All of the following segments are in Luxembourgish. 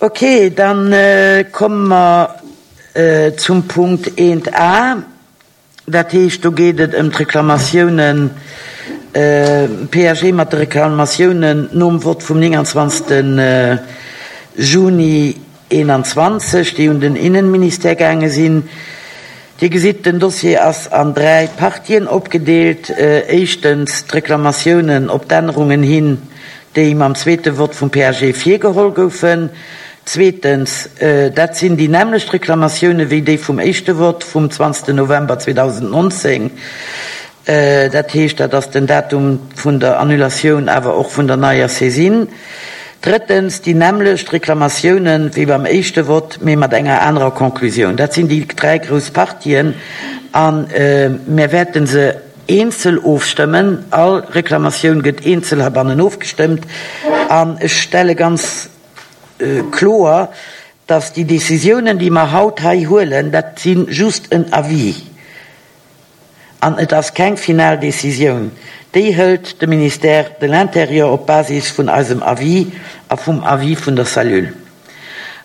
Ok, da komme mer zum Punkt 1 a. Dat heescht, do geet et ëm d'Reklamatiounen, PAG mat de Reklamatiounen nom Vott vum 29. Juni 21, déi un den Innenministère gaange sinn. Dir gesitt, den Dossier ass an dräi Partien opgedeelt. Éischtens d'Reklamatiounen op d'Ännerungen hin, déi mam zweete Vott vum PAG virgeholl goufen. Zweetens, dat sinn déi nämmlecht Reklamatioune wéi déi vum éischte Vott vum 20 November 2019. Dat heescht, dat ass den Datum vun der Annulatioun, awer och vun der neier Saisine. Drëttens, déi nämmlecht Reklamatioune wéi beim éischte Vott, mee mat enger anerer Conclusioun. Dat sinn déi dräi grouss Partien a mir wäerte se Eenzel ofstëmmen. All Reklamatioun gëtt eenzel heibannen ofgestëmmt. An ech stelle ganz kloer, dass déi Décisiounen, déi mer haut hei huelen, dat si just en Avis an et ass keng final Décisioun. Déi hëlt de Ministère de l'Intérieur op Basis vun eisem Avis a vum Avis vun der Cellule.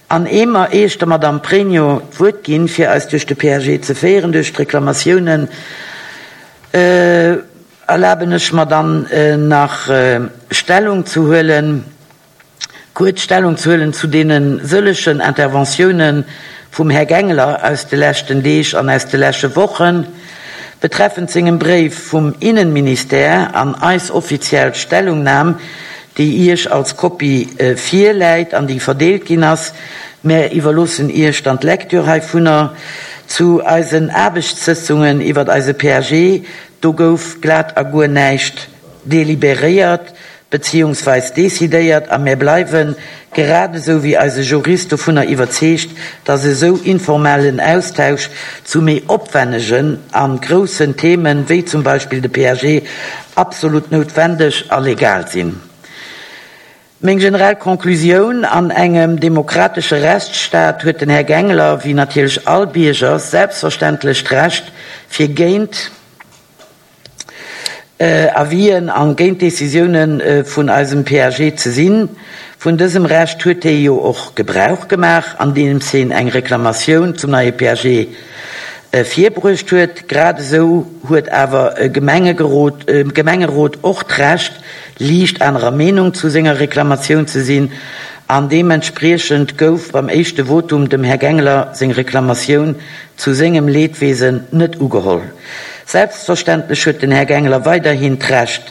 An ee mer, éier ech der Madame Pregno d'Wuert ginn, fir eis duerch de PAG ze féieren, duerch d'Reklamatiounen, erlaben ech mer dann nach Stellung ze huelen, kuerz Stellung ze huelen zu deene sëllegen Interventiounen vum Här Gangler aus de leschten Deeg an aus de lesche Wochen betreffend sengem Bréif vum Innenministère an eis offiziell Stellungnam, déi Iech als Kopie virläit an déi verdeelt ginn ass. Mär iwwerloossen Iech dann d'Lecture heivunner. Zu eisen Aarbechtssëtzungen iwwert eise PAG, do gouf glat a guer näischt deliberéiert beziehungsweis decidéiert a mär bleiwen, grad esou wéi eise Jurist, dovunner iwwerzeegt, dass esou informellen Austausch zu méi opwennegen a groussen Themen, wéi zum Beispill de PAG, absolut noutwendeg a legal sinn. Meng generell Conclusioun, An engem demokratesche Rechtsstaat huet den Här Gangler, wéi natierlech all Bierger, selbstverständlech d'Recht, fir géint Avisen a géint Decisioune vun eisem PAG ze sinn. Vun dësem Recht huet hie jo och Gebrauch gemaach, andeems hien eng Reklamatioun zum neie PAG virbruecht huet. Grad esou huet awer e Gemengerot och d'Recht, liicht anerer Meenung zu senger Reklamatioun ze sinn, an deementspriechend gouf beim éischte Votum dem Här Gangler seng Reklamatioun zu sengem Leedwesen net ugeholl. Selbstverständlech huet den Här Gangler weiderhin d'Recht,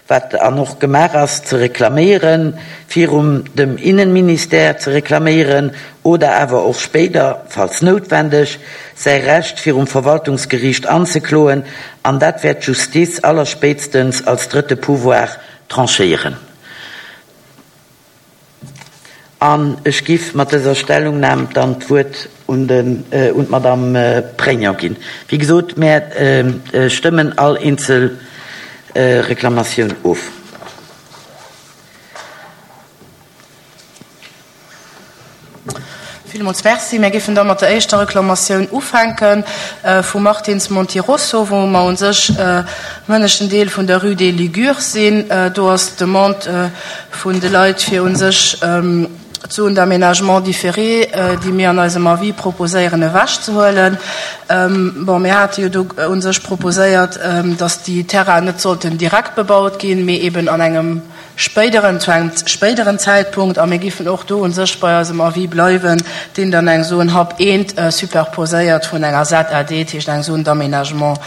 wat an och gemaach ass, ze reklaméieren, virum dem Innenministère ze reklaméieren oder awer och spéider, falls noutwendeg, säi Recht virum Verwaltungsgeriicht anzekloen, an dat wäert d'Justiz allerspéitstens als drëtte Pouvoir tranchéieren. An ech giff mat dëser Stellungnam dann d'Wuert un d'Madame Pregno ginn. Wéi gesot, mär stëmmen all eenzel Reklamatioun of. Villmools Merci. Mir géifen da mat der éischter Reklamatioun ufänken, vum Martins Montirosso, wou mer u sech am ënneschten Deel vun der Rue des Ligures sinn. Do ass d'Demande vun de Leit, fir u sech d'Zone d'aménagement différé, déi mir an eisem Avis proposéieren, ewechzehuelen. Bon, mir hate jo do u sech proposéiert, datt déi Terrainen net sollten direkt bebaut ginn, mee eben an engem spéideren, zu engem spéideren Zäitpunkt, a mir giffen och do u sech bei eisem Avis bleiwen, deen dann eng Zone Hub eent superposéiert vun enger ZAD, dat heescht eng Zone d'aménagement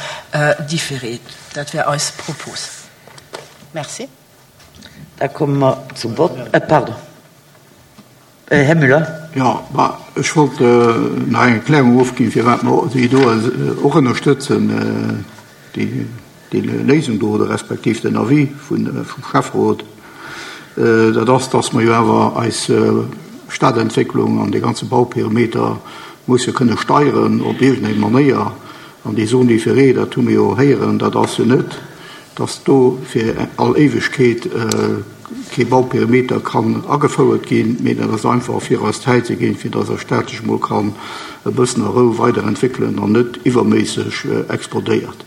différé. Dat wär eis Propos. Merci. Da komme mer zum Vott. Pardon, Här Müller. Jo, ma ech wollt nach eng Erklärung ofginn, firwat mer déi do och ënnerstëtzen, déi déi Léisung do oder respektiv den Avis vum Schäfferot. Dat ass, dass mer jo awer eis Stadentwécklung an dee ganze Bauperimeter musse kënne steieren op iergendeng Manéier. An déi Zone différée, dat hu mir jo héieren, dat ass jo net, dass do fir all Éiwegkeet kee Bauperimeter kann agefouert ginn, mee dat ass einfach fir eis Zäit ze ginn, fir dass eis Stad sech emol kann e bëssen a Rou weiderentwéckelen an net iwwerméisseg explodéiert.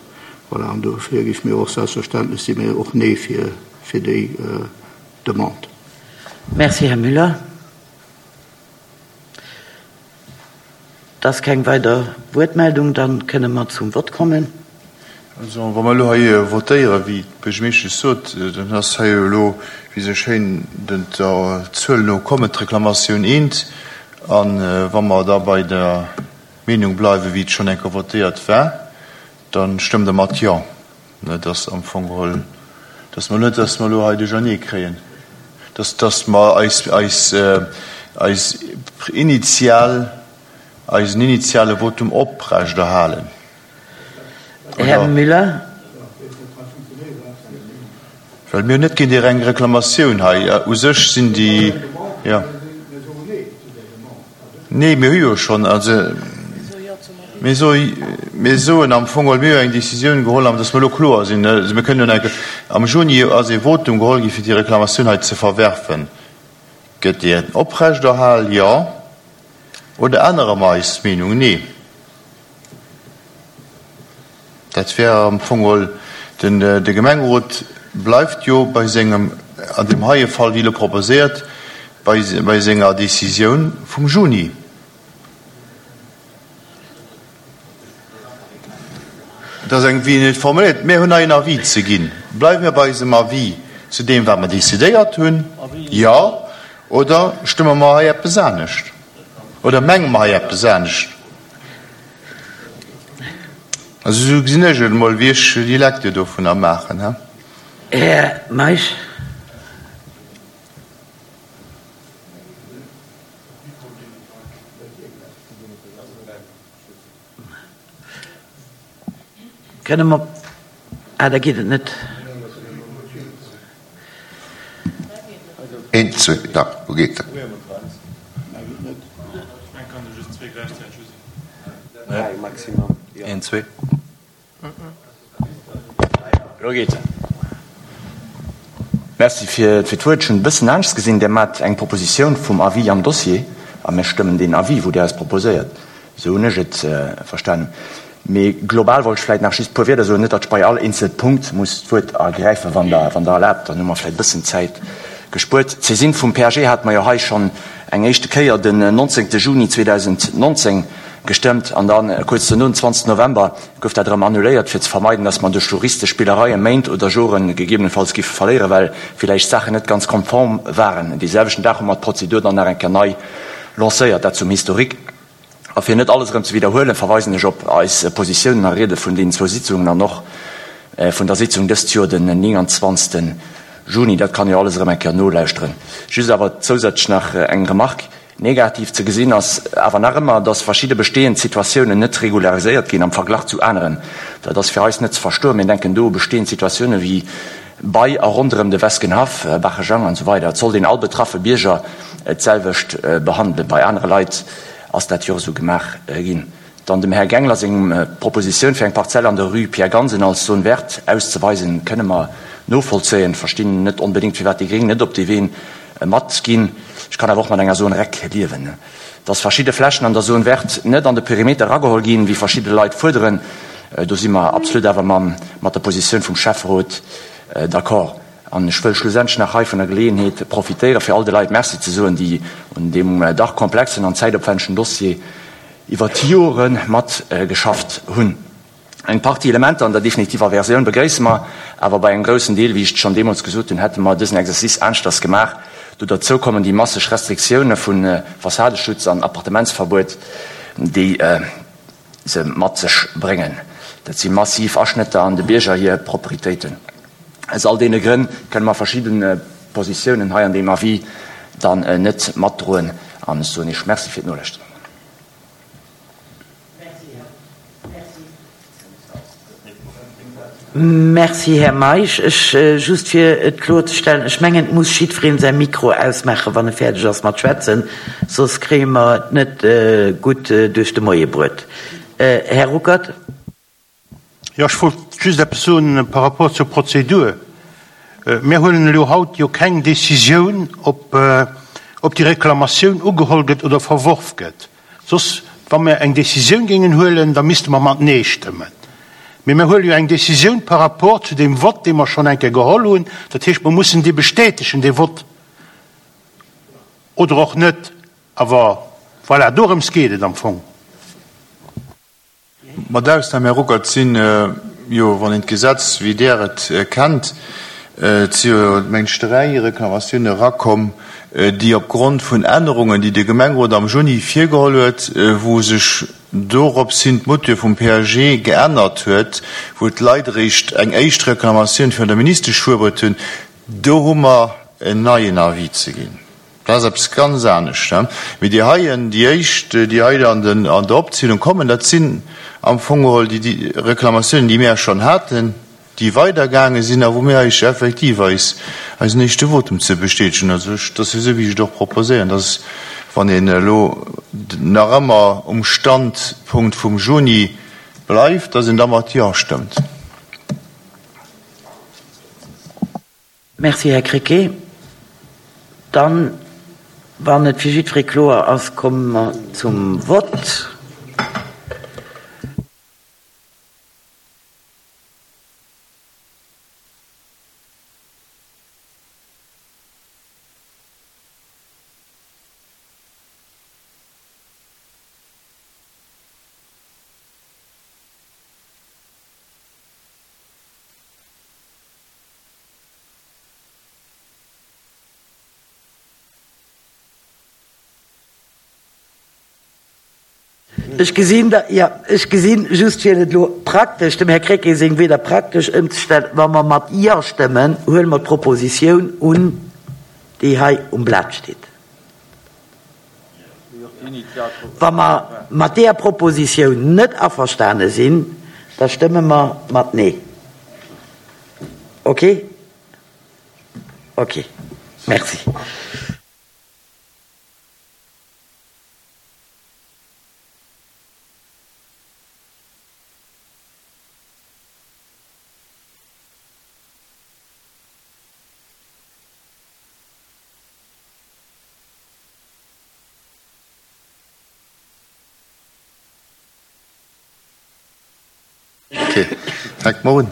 Voilà, an dofir géife mir och selbstverständlech, si mir och Nee fir déi Demande. Merci, Här Müller. Et ass keng weider Wuertmeldung, da kënne mer zum Vott kommen. Also, wa mer elo hei votéieren, wéi d'Buergermeeschtesch sot, dann ass hei jo elo, wéi se schéin der Zuel no kommen, d'Reklamatioun eent. A wa mer da bei der Meenung bleiwen, wéi et schonn eng Kéier votéiert war, da stëmmt Der mat Jo. Et ass am Fong geholl, dass mer net, dass mer elo hei Duerchernee kréien, dass, dass mer eis, eis, eis initial, eisen initiale Votum oprechterhalen. Här Müller. Well mir hunn net géint déi reng Reklamatioun hei. U sech sinn déi, jo. Nee, mir hu jo schonn, also mir soe, mir soen am Fong geholl, mir hu eng Décisioun geholl, an dass mer elo kloer sinn, also mir kënnen elo enke, am Juni ass ee Votum geholl gi fir déi Reklamatioun hei ze verwerfen. Gëtt déi oprechterhal? Jo. Oder ännere mer eis Meenung? Nee. Dat wär am Fong geholl, den, de Gemengerot bleift jo bei sengem, an deem heie Fall, wéi elo proposéiert, bei, bei senger Décisioun vum Juni. Et ass eng, wéi en et formuléiert, mir hunn hei en Avis ze ginn. Bleiwe mir bei eisem Avis zu deem, wat mer décidéiert hunn? Jo. Oder stëmme mer hei eppes anescht? Oder menge mer hei eppes anescht? Also esou gesinn ech et emol, wéi ech déi Lecture dovunner maachen. Här Meisch. Kënne mer, ah, da geet et net. Een, zwee, da, lo geet et. Een, zwee. Elo geet se. Merci fir d'Wuert. Ech hunn e bëssen anescht gesinn. Dir maacht eng Propositioun vum Avis am Dossier a mir stëmmen deen Avis, wou Dir eis proposéiert. Esou hunn ech et verstanen. Mee global wollt ech vläicht nach just e puer Wierder soen, net datt ech bei all eenzel Punkt muss d'Wuert ergräifen, wann Der, wann Der erlaabt. Dann hu mer vläicht e bëssen Zäit gespuert. D'Saisine vum PAG hate mer jo hei schonn eng éischte Kéier den 19. Juni 2019 gestëmmt an da kuerz dono, den 20. November, gouf dat erëm annuléiert, fir ze vermeiden, dass mer duerch juristesch Spillereie Méint oder Jore gegebenenfalls giffe verléieren, well villäicht Saachen net ganz konform waren. Dee selwechten Dag hu mer d'Prozedur dann nach eng Kéier nei lancéiert. Dat zum Historique. A fir net alles erëm ze widderhuelen, verweisen ech op eis Positiounen a Riede vun deenen zwou Sitzungen an och vun der Sitzung dëst Joer den 29. Juni. Dat kann ee jo alles erëm eng Kéier nolauschteren. Just awer zousätzlech nach eng Remarque, Negativ ze gesinn ass awer nach ëmmer, dass verschidde bestehend Situatiounen net regulariséiert ginn am Verglach zu aneren. Dat ass fir eis net ze verstoen. Mir denken do u bestehend Situatiounen wéi bei a ronderëm de Weskenhaff, Baachejang an esou weider. Et sollt een all betraffe Bierger d'selwecht behandelen. Bei anere Leit ass dat jo och esou gemaach ginn. Dann dem Här Gangler seng Propositioun, fir eng Parzell an der Rue Pierre Gansen als Zone verte auszeweisen, kënne mer novollzéien. Verstinn net onbedéngt, firwat déi Gréng net op dee Wee matginn. Ech kann awer och mat enger Zone rec liewen. Dass verschidde Flächen an der Zone verte net an de Perimeter erageholl ginn, wéi verschidde Leit fuerderen, do si mer absolut awer mat der Positioun vum Schäfferot d'accord. An ech wëll schlussendlech nach hei vun der Geleeënheet profitéieren, fir all de Leit Merci ze soen, déi un deem dach komplexen an zäitopwännegen Dossier iwwer d'Jore mat geschafft hunn. Eng Partie Elementer an der definitiver Versioun begréisse mer, awer bei engem groussen Deel, wéi ech et schonn deemools gesot hunn, hätte mer dësen Exercice aneschters gemaach. Do derzou kommen déi masseg Restriktioune vu Fassadeschutz an Appartementsverbuet, déi se mat sech bréngen. Dat si massiv Aschnëtter an de Bierger hir Proprietéiten. Aus all deene Grënn kënne mer verschidde Positiounen hei an deem Avis dann net matdroen an ech soen Iech Merci fir d'Nolauschteren. Merci, Här Meisch. Ech, just fir et kloerzestellen, ech mengen, et muss jiddweree säi Mikro ausmaachen, wann e fäerdeg ass mat schwätzen, soss kréie mer et net gutt duerch de Moie bruet. Här Ruckert. Jo, ech wollt just eppes soen par rapport zur Prozedur. Mir huelen elo haut jo keng Décisioun, ob, ob déi Reklamatioun ugeholl gëtt oder verworf gëtt. Soss, wa mir eng Décisioun géingen huelen, da misste mer mat Nee stëmmen. Mee mir huele jo eng Décisioun par rapport zu deem Vott, dee mer schonn eng Kéier geholl hunn. Dat heescht, mer mussen dee bestätegen, dee Vott, oder och net. Awer voilà, dorëms geet et am Fong. Mat Ausnam, Här Ruckert, sinn jo, wann een d'Gesetz, wéi Der et kennt, et si jo, mengen ech, 3 Reklamatioune erakomm, déi opgrond vun Ännerungen, déi de Gemengerot am Juni virgeholl huet, wou sech dorops hin d'Mouture vum PAG geännert huet, wou d'Leit eréischt eng éischt Reklamatioun virun der Ministesch fuerbruet hunn, do hu mer en neien Avis ze ginn. Dat ass eppes ganz anescht. Mee déi heien, déi éischt, déi hei an der Opzielung kommen, dat sinn am Fong geholl déi Reklamatiounen, déi mir schonn haten, déi weidergaange sinn a wou mir eis effektiv eis eisen éischte Votum ze bestätegen. Also ech, dat ass jo esou, wéi ech et och proposéieren, dass, wann een elo nach ëmmer um Standpunkt vum Juni bleift, dass een da mat Jo stëmmt. Merci, Här Krecké. Dann, wann et fir jiddweree kloer ass, komme mer zum Vott. Ech gesinn, jo, ech gesinn, just fir et elo praktesch, dem Här Krecké seng Wieder praktesch ëmzestellen, Wa mer mat Jo stëmmen, huele mer d'Propositioun un, déi hei um Blat steet. Wa mer mat deeër Propositioun net averstane sinn, da stëmme mer mat Nee. Ok? Ok. Merci. Ok, fänke mer un.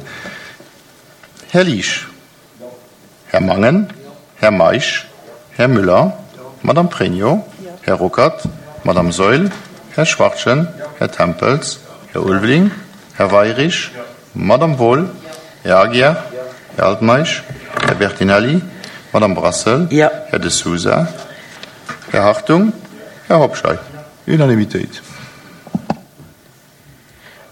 Här Liesch. Här Mangen. Här Meisch. Här Müller. Madame Pregno. Här Ruckert. Madame Saeul. Här Schwachtgen. Här Tempels. Här Ulveling. Här Weirich. Madame Wohl. Här Aguiar. Här Altmeisch. Här Bertinelli. Madame Brassel. Här De Sousa. Här Hartung. Här Hobscheit. Unanimitéit.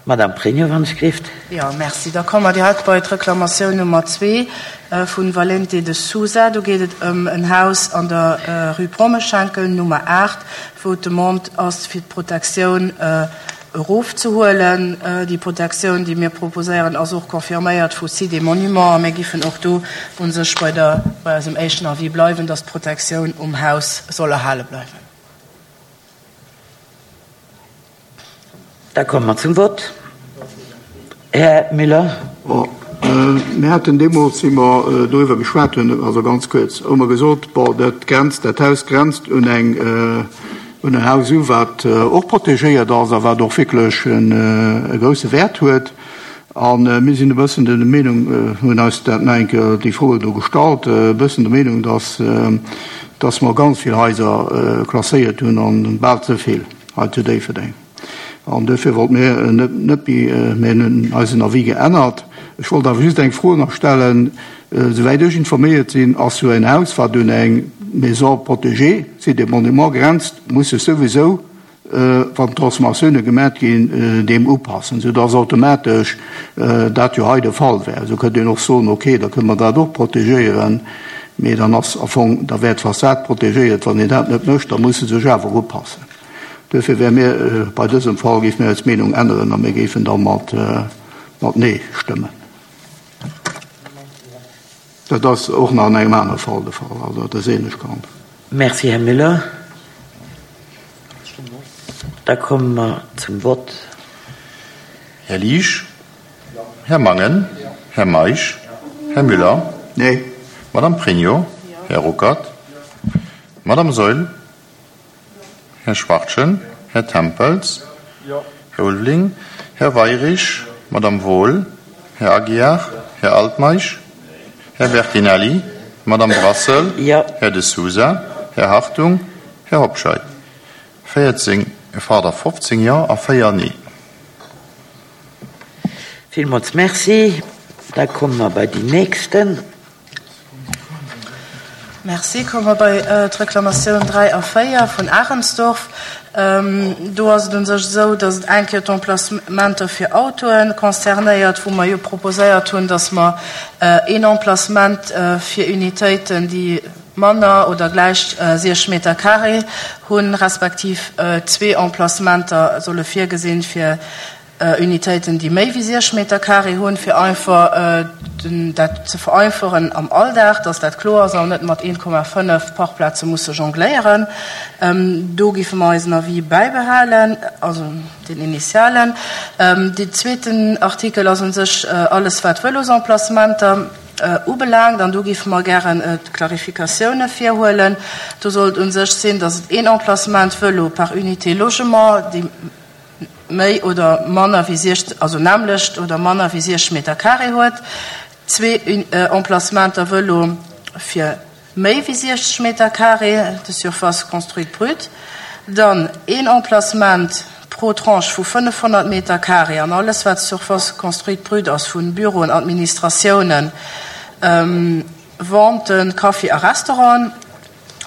Madame Pregno, wann ech gleeft. Jo, merci. Da komme mer direkt bei d'Reklamatioun Nummer zwee vun Valente de Sousa. Do geet et ëm en Haus an der Rue Brommeschenkel, Nummer 8, wou d'Demande ass, fir d'Protektioun erofzehuelen. Déi Protektioun, déi mir proposéieren, ass och confirméiert vu Sites et Monuments a mir giffen och do u sech bei der, bei eisem éischten Avis bleiwen, dass d'Protektioun um Haus soll erhale bleiwen. Da komme mer zum Vott. Här Müller. Bon, mir haten deemools, wéi mer doriwwer geschwat hunn, also ganz kuerz, hu mer gesot, bon, dat grenzt, dat Haus grenzt un eng, un en Haus u wat och protegéiert ass a wat och wierklech e grouse Wäert huet. A mir sinn e bëssen der Meenung, hunn eis dat nach eng Kéier déi Froe do gestallt, e bëssen der Meenung, dass, dass mer ganz vill Haiser klasséiert hunn an bal ze vill hei zu Déifferdeng. An duerfir wollte mir net, net méi, mir hunn eisen Avis geännert. Ech wollt awer just eng Fro nach stellen, Souwäit ech informéiert sinn, ass jo en Haus, wat un eng Maison protégée, Site et Monuments, grenzt, muss sech souwisou, wann d'Transformatioune gemat ginn, deem upassen, soudass automatesch dat jo hei de Fall wär. Esou kënnt een och soen, okay, da kënne mer dat och protegéieren, mee dann ass am Fong, da wär d'Fassad protegéiert. Wann een dat net mécht, da muss se sech awer upassen. Duerfir wäre mir bei dësem Fall, géife mir eis Meenung änneren a mir géifen da mat Nee stëmmen. Dat ass och nach an engem anere Fall de Fall, also dat ass ähnlech gehandelt. Merci, Här Müller. Da komme mer zum Vott. Här Liesch? Här Mangen? Här Meisch? Här Müller? Nee. Madame Pregno? Här Ruckert? Madame Saeul? Här Schwachtgen, Här Tempels, Här Ulveling, Här Weirich, Madame Wohl, Här Aguiar, Här Altmeisch, Här Bertinelli, Madame Brassel, Här De Sousa, Här Hartung, Här Hobscheit. 14, pardon, 15 Jo a 4 Nee. Villmools Merci. Da komme mer bei déi nächsten. Merci. Komme mer bei d'Reklamatioun 3 a 4 vun Ahrensdorf. Do ass et u sech esou, datt et eng Kéier d'Emplacementer fir Autoe concernéiert, wou mer jo proposéiert hunn, datt mer een Emplacement fir Unitéiten, déi manner oder gläich 60 Meter carré hunn, respektiv zwee Emplacementer solle virgesinn fir Unitéiten, déi méi wéi 60 Meter carré hunn, fir einfach dat ze vereinfachen am Alldag, dass dat kloer ass an net mat 1,5 Parkplaze musse jongléieren. Do géife mer eisen Avis bäibehalen, also deen initialen. Deen zweeten Artikel ass u sech alles, wat Vëlosemplacementer ubelaangt, an do géife mer gären d'Klarifikatioune virhuelen. Do soll et u sech sinn, dass et een Emplacement Vëlo par unité logement, déi méi oder manner wéi 60, also nämmlecht oder manner wéi 60 Meter carré huet, zwee Emplacementer Vëlo fir méi wéi 60 Meter carré de surface construite brute, dann een Emplacement pro Tranche vu 500 Meter carré an alles wat surface construite brute ass vu Büroen, Administratiounen, Venten, Café a Restauranten.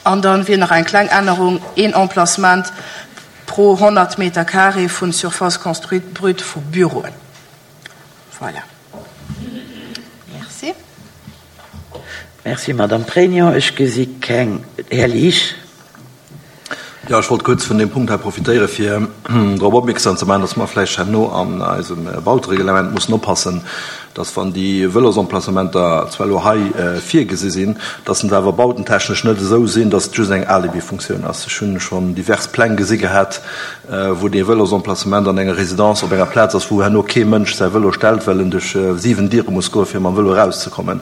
An dann wier nach eng kleng Ännerung, een Emplacement pro 100 Meter carré vun Surface construite brute vu Büroen. Voilà. Merci. Merci, Madame Pregno. Ech gesi keng. Här Liesch. Jo, ech wollt kuerz vun deem Punkt hei profitéieren, fir drop opmierksam ze maachen, dass mer vläicht herno an eisem Bautereglement mussen oppassen, dass, wann déi Vëlosemplacementer zwar elo hei virgesi sinn, dass se awer bautentechnesch net esou sinn, dass et just eng Alibifunktioun ass. Ech hunn schonn divers Pläng gesi gehat, wou dee Vëlosemplacement an enger Résidence op enger Plaz ass, wou herno kee Mënsch säi Vëlo stellt, well en duerch 7 Diere muss goen, fir mam Vëlo erauszekommen.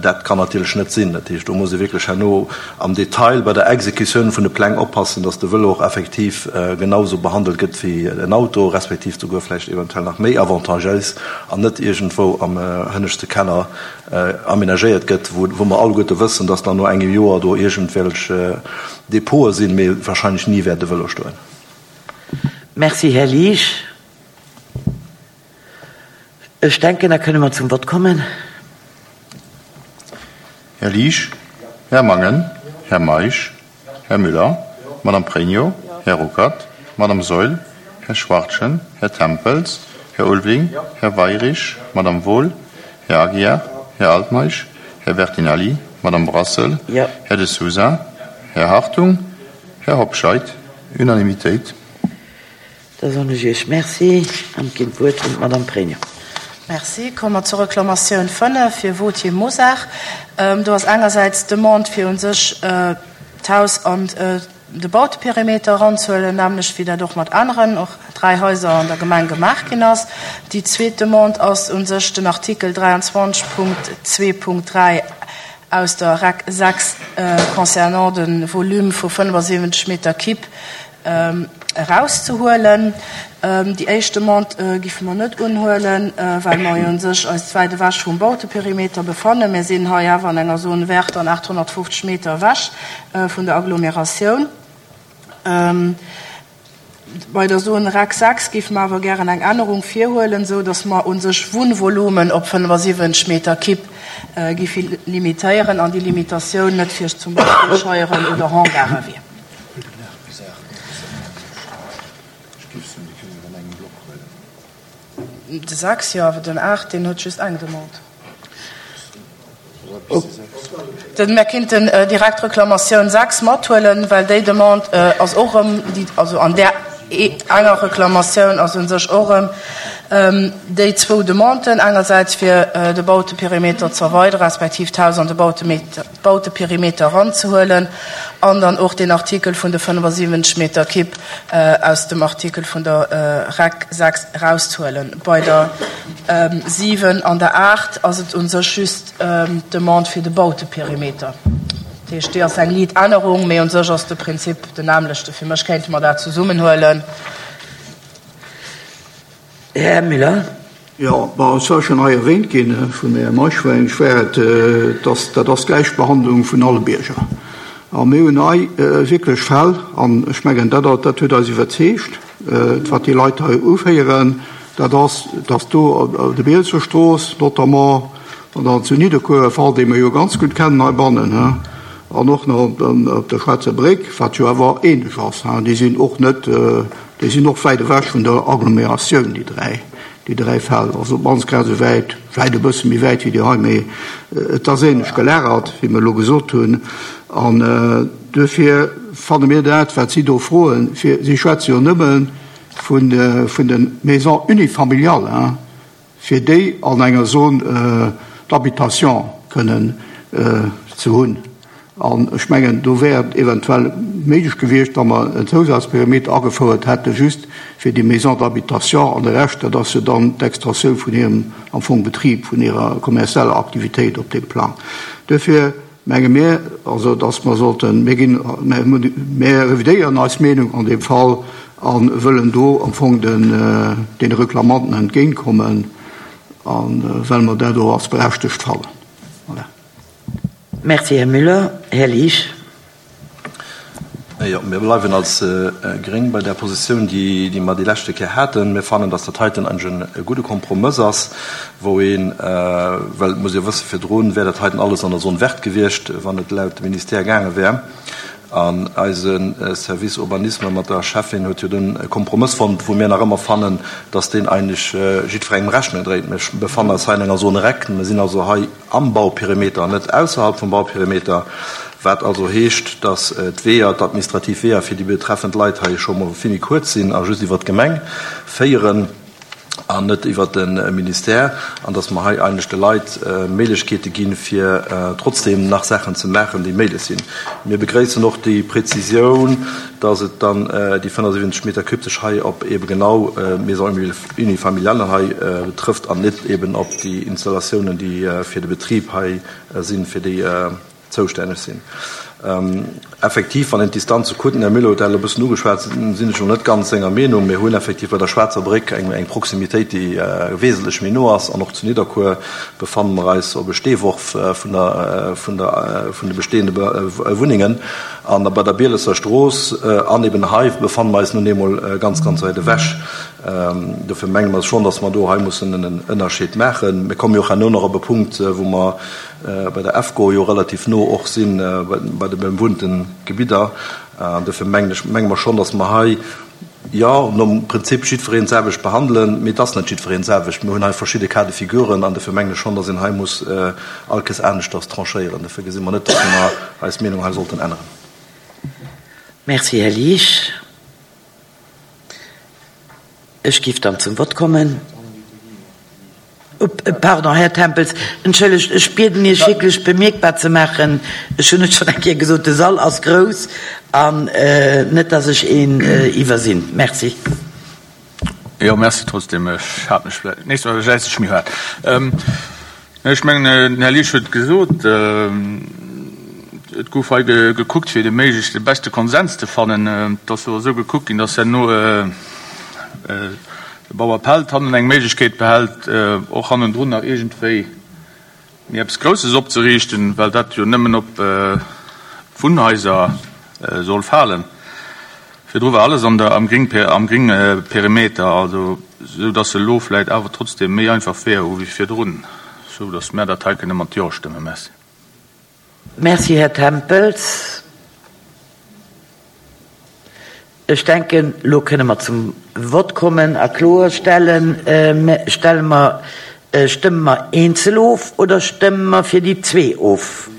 Dat kann natierlech net sinn. Dat heescht, do muss ee wierklech herno am Detail bei der Exekutioun vun de Pläng oppassen, dass de Vëlo och effektiv genau esou behandelt gëtt wéi en Auto, respektiv souguer vläicht eventuell nach méi avantagéis an net iergendwou am hënneschte Keller aménagéiert gëtt, wou mer alleguerte wëssen, dass dann no engem Joer do iergendwelch Depote sinn, mee wahrscheinlech ni wäert e Vëlo stoen. Merci, Här Liesch. Ech denken, da kënne mer zum Vott kommen. Här Liesch, Här Mangen, Här Meisch, Här Müller, Madame Pregno, Här Ruckert, Madame Saeul, Här Schwachtgen, Här Tempels, Här Ulveling, Här Weirich, Madame Wohl, Här Aguiar, Här Altmeisch, Här Bertinelli, Madame Brassel, Här De Sousa, Här Hartung, Här Hobscheit. Unanimitéit. Da soen ech Iech Merci an ginn d'Wuert un d'Madame Pregno. Merci. Komme mer zur Reklamatioun 5 fir Wauthier Mosar. Do ass engersäits d'Demande fir u sech d'Haus an de Bauteperimeter eranzehuelen, nämmlecht wéi dat och mat aneren, och dräi Haiser an der Gemeng gemaach ginn ass. Déi zweet Demande ass u sech den Artikel 23 Punkt 2 Punkt 3 aus der rec 6 concernant de Volume vu 75 Meter Kipp erauszehuelen. Déi éischt Demande géife mer net unhuelen, well mer jo u sech eis wäit ewech vum Bauteperimeter befannen. Mir sinn hei awer an enger Zone verte an 850 Meter ewech vun der Agglomeratioun. Bei der Zone rec 6 géife mer awer gären eng Ännerung virhuelen, esou datt mer u sech Wunnvolumen op 75 Meter Kipp géife limitéieren an déi Limitatioun net fir zum Beispill Scheieren oder Hangare wier. De 6, jo, awer den 8, deen huet just eng Demande. Mir kinnten direkt d'Reklamatioun 6 mathuelen, well déi Demande ass och erëm, also an där enger Reklamatioun ass u sech och erëm déi zwou Demanden, engersäits fir de Bauteperimeter ze erweideren, respektiv d'Haus an de Bauteperimeter eranzehuelen an dann och deen Artikel vun de 75 Meter Kipp aus dem Artikel vun der rec 6 erauszehuelen. Bei der 7 an der 8 ass et u sech just d'Demande fir de Bauteperimeter. Dat heescht, déi ass eng liit Ännerung, mee u sech ass de Prinzip den nämlechte. Fir mech kéinte mer dat zesummenhuelen. Här Müller. Jo, bon, et war schonn hei erwähnt ginn vum Här Meisch, well ech war et, dass dat ass d'Gläichbehandlung vun alle Bierger. A mir hunn hei wierklech Fäll, an ech mengen, dat dat huet eis iwwerzeegt, wat déi Leit hei uféieren. Dat ass, dass do op der Bielser Strooss notamment an dann zu Nidderkuer, e Fall, dee mer jo ganz gutt kennen heibannen, he, an och nach op der Schwaarzer Bréck, wat jo awer ähnlech ass, he, déi sinn och net, déi sinn och wäit ewech vun der Agglomeratioun, déi dräi, déi dräi Fäll, also op d'mannst grad esou wäit, vläicht e bësse méi wäit wéi déi hei, mee et ass ähnlech gelagert, wéi mer elo gesot hunn. An duerfir fanne mir dat, wat si do froen, fir, si schwätze jo nëmme vun de Maisons unifamiliales, fir déi an enger Zone d'habitation kënnen ze hunn. An ech mengen, do wär et eventuell méiglech gewiescht, wa mer en Zousazperimeter agefouert hätte just fir déi Maisons d'habitation, an de Rescht, dat ass jo dann d'Extensioun vun hirem am Fong Betrib, vun hirer kommerzieller Aktivitéit op deem Plang. Duerfir menge mir also, dass mer sollten, mir ginn, mir revidéieren eis Meenung an deem Fall a wëllen do am Fong den deene Reklamanten entgéintkommen, a well mer dat och als berechtegt fannen. Voilà. Merci, Här Müller. Här Liesch. Jo, mir bleiwen als Gréng bei där Positioun, déi mer déi leschte Kéier haten. Mir fannen, dass dat heiten eigentlech e gudde Kompromëss ass, wou een, well et muss ee jo wëssen, virdru wär dat heiten alles an der Zone verte gewiescht, wann et laut dem Ministère gaange wär. An eise Service Urbanisme mat der Schäffin huet jo dunn e Kompromëss fonnt, wou mir nach ëmmer fannen, dass deen eigentlech jiddwerengem Rechnung dréit. Mir befannen eis hei an enger Zone rec. Mir sinn also hei am Bauperimeter an net ausserhalb vum Bauperimeter, wat also heescht, dass d'Weeër, d'administrativ Weeër fir déi betreffend Leit hei scho mol vill méi kuerz sinn a just iwwert d'Gemeng féieren an net iwwert de Ministère, an dass mer hei eigentlech de Leit Méiglechkeete ginn, fir trotzdeem nach Saachen ze maachen, déi méiglech sinn. Mir begréissen och déi Präzisioun, dass et dann déi 75 Meter cube sech hei op eebe genau d'Maison unifamiliale hei betrëfft an net eeben op déi Installatiounen, déi fir de Betrib hei sinn, fir déi zoustänneg sinn. Effektiv, wann een d'Distanze kuckt, den Här Müller huet dat elo e bëssen ugeschwat, sinn ech elo net ganz senger Meenung. Mir hunn effektiv bei der Schwaarzer Bréck eng Proximitéit, déi wesentlech méi no ass. An och zu Nidderkuer befanne mer eis op e Steeworf vun der, vun der, vun de bestehende Wunnengen. An bei der Bielesser Strooss an eben hei befanne mer eis nun eemol ganz, ganz wäit ewech. Dofir menge mer schonn, datt mer do hei mussen en Ënnerscheed maachen. Mir komme jo och herno nach op e Punkt, wou mer bei der EFCO jo relativ no och si bei de bewunnte Gebidder. An dofir mengen ech, menge mer schonn, datt mer hei, jo, nom Prinzip jiddwereen d'selwecht behandelen, mee et ass net jiddwereen d'selwecht. Mir hunn hei verschidde Cas de figuren an dofir mengen ech schonn, datt een hei muss all Kes aneschters tranchéieren. Dofir gesi mer net, datt mer eis Meenung hei sollten änneren. Merci, Här Liesch. Ech géif dann zum Vott kommen. Pardon, Här Tempels, entschëllegt, ech bieden Iech wierklech bemierkbar ze maachen, ech hunn et schonn eng Kéier gesot, de Sall ass grouss an net, dass ech een iwwersinn. Merci. Jo, merci trotzdem. Ech hat mech vläicht, d'nächst Mol jäiz ech méi haart. Ech mengen, den Här Liesch huet et gesot, et gouf hei gekuckt, fir de méiglechst de beschte Konsens ze fannen. Et ass jo esou gekuckt ginn, dass herno de Bauer Pelt hannen eng Méiglechkeet behält, och hannendrun nach iergendwéi méi eppes Grousses opzeriichten, well dat jo nëmmen op d'Wunnhaiser soll falen. Virdru war alles an der, am Gring, am Gringperimeter, also esou dass se elo vläit awer trotzdem méi einfach Weeër hu wéi virdrun, esou dass mär dat hei kënne mat Jo stëmmen. Merci. Merci, Här Tempels. Ech denken, elo kënne mer zum Vott kommen a kloerstellen, Stelle mer, stëmme mer eenzel of oder stëmme mer fir déi zwee of?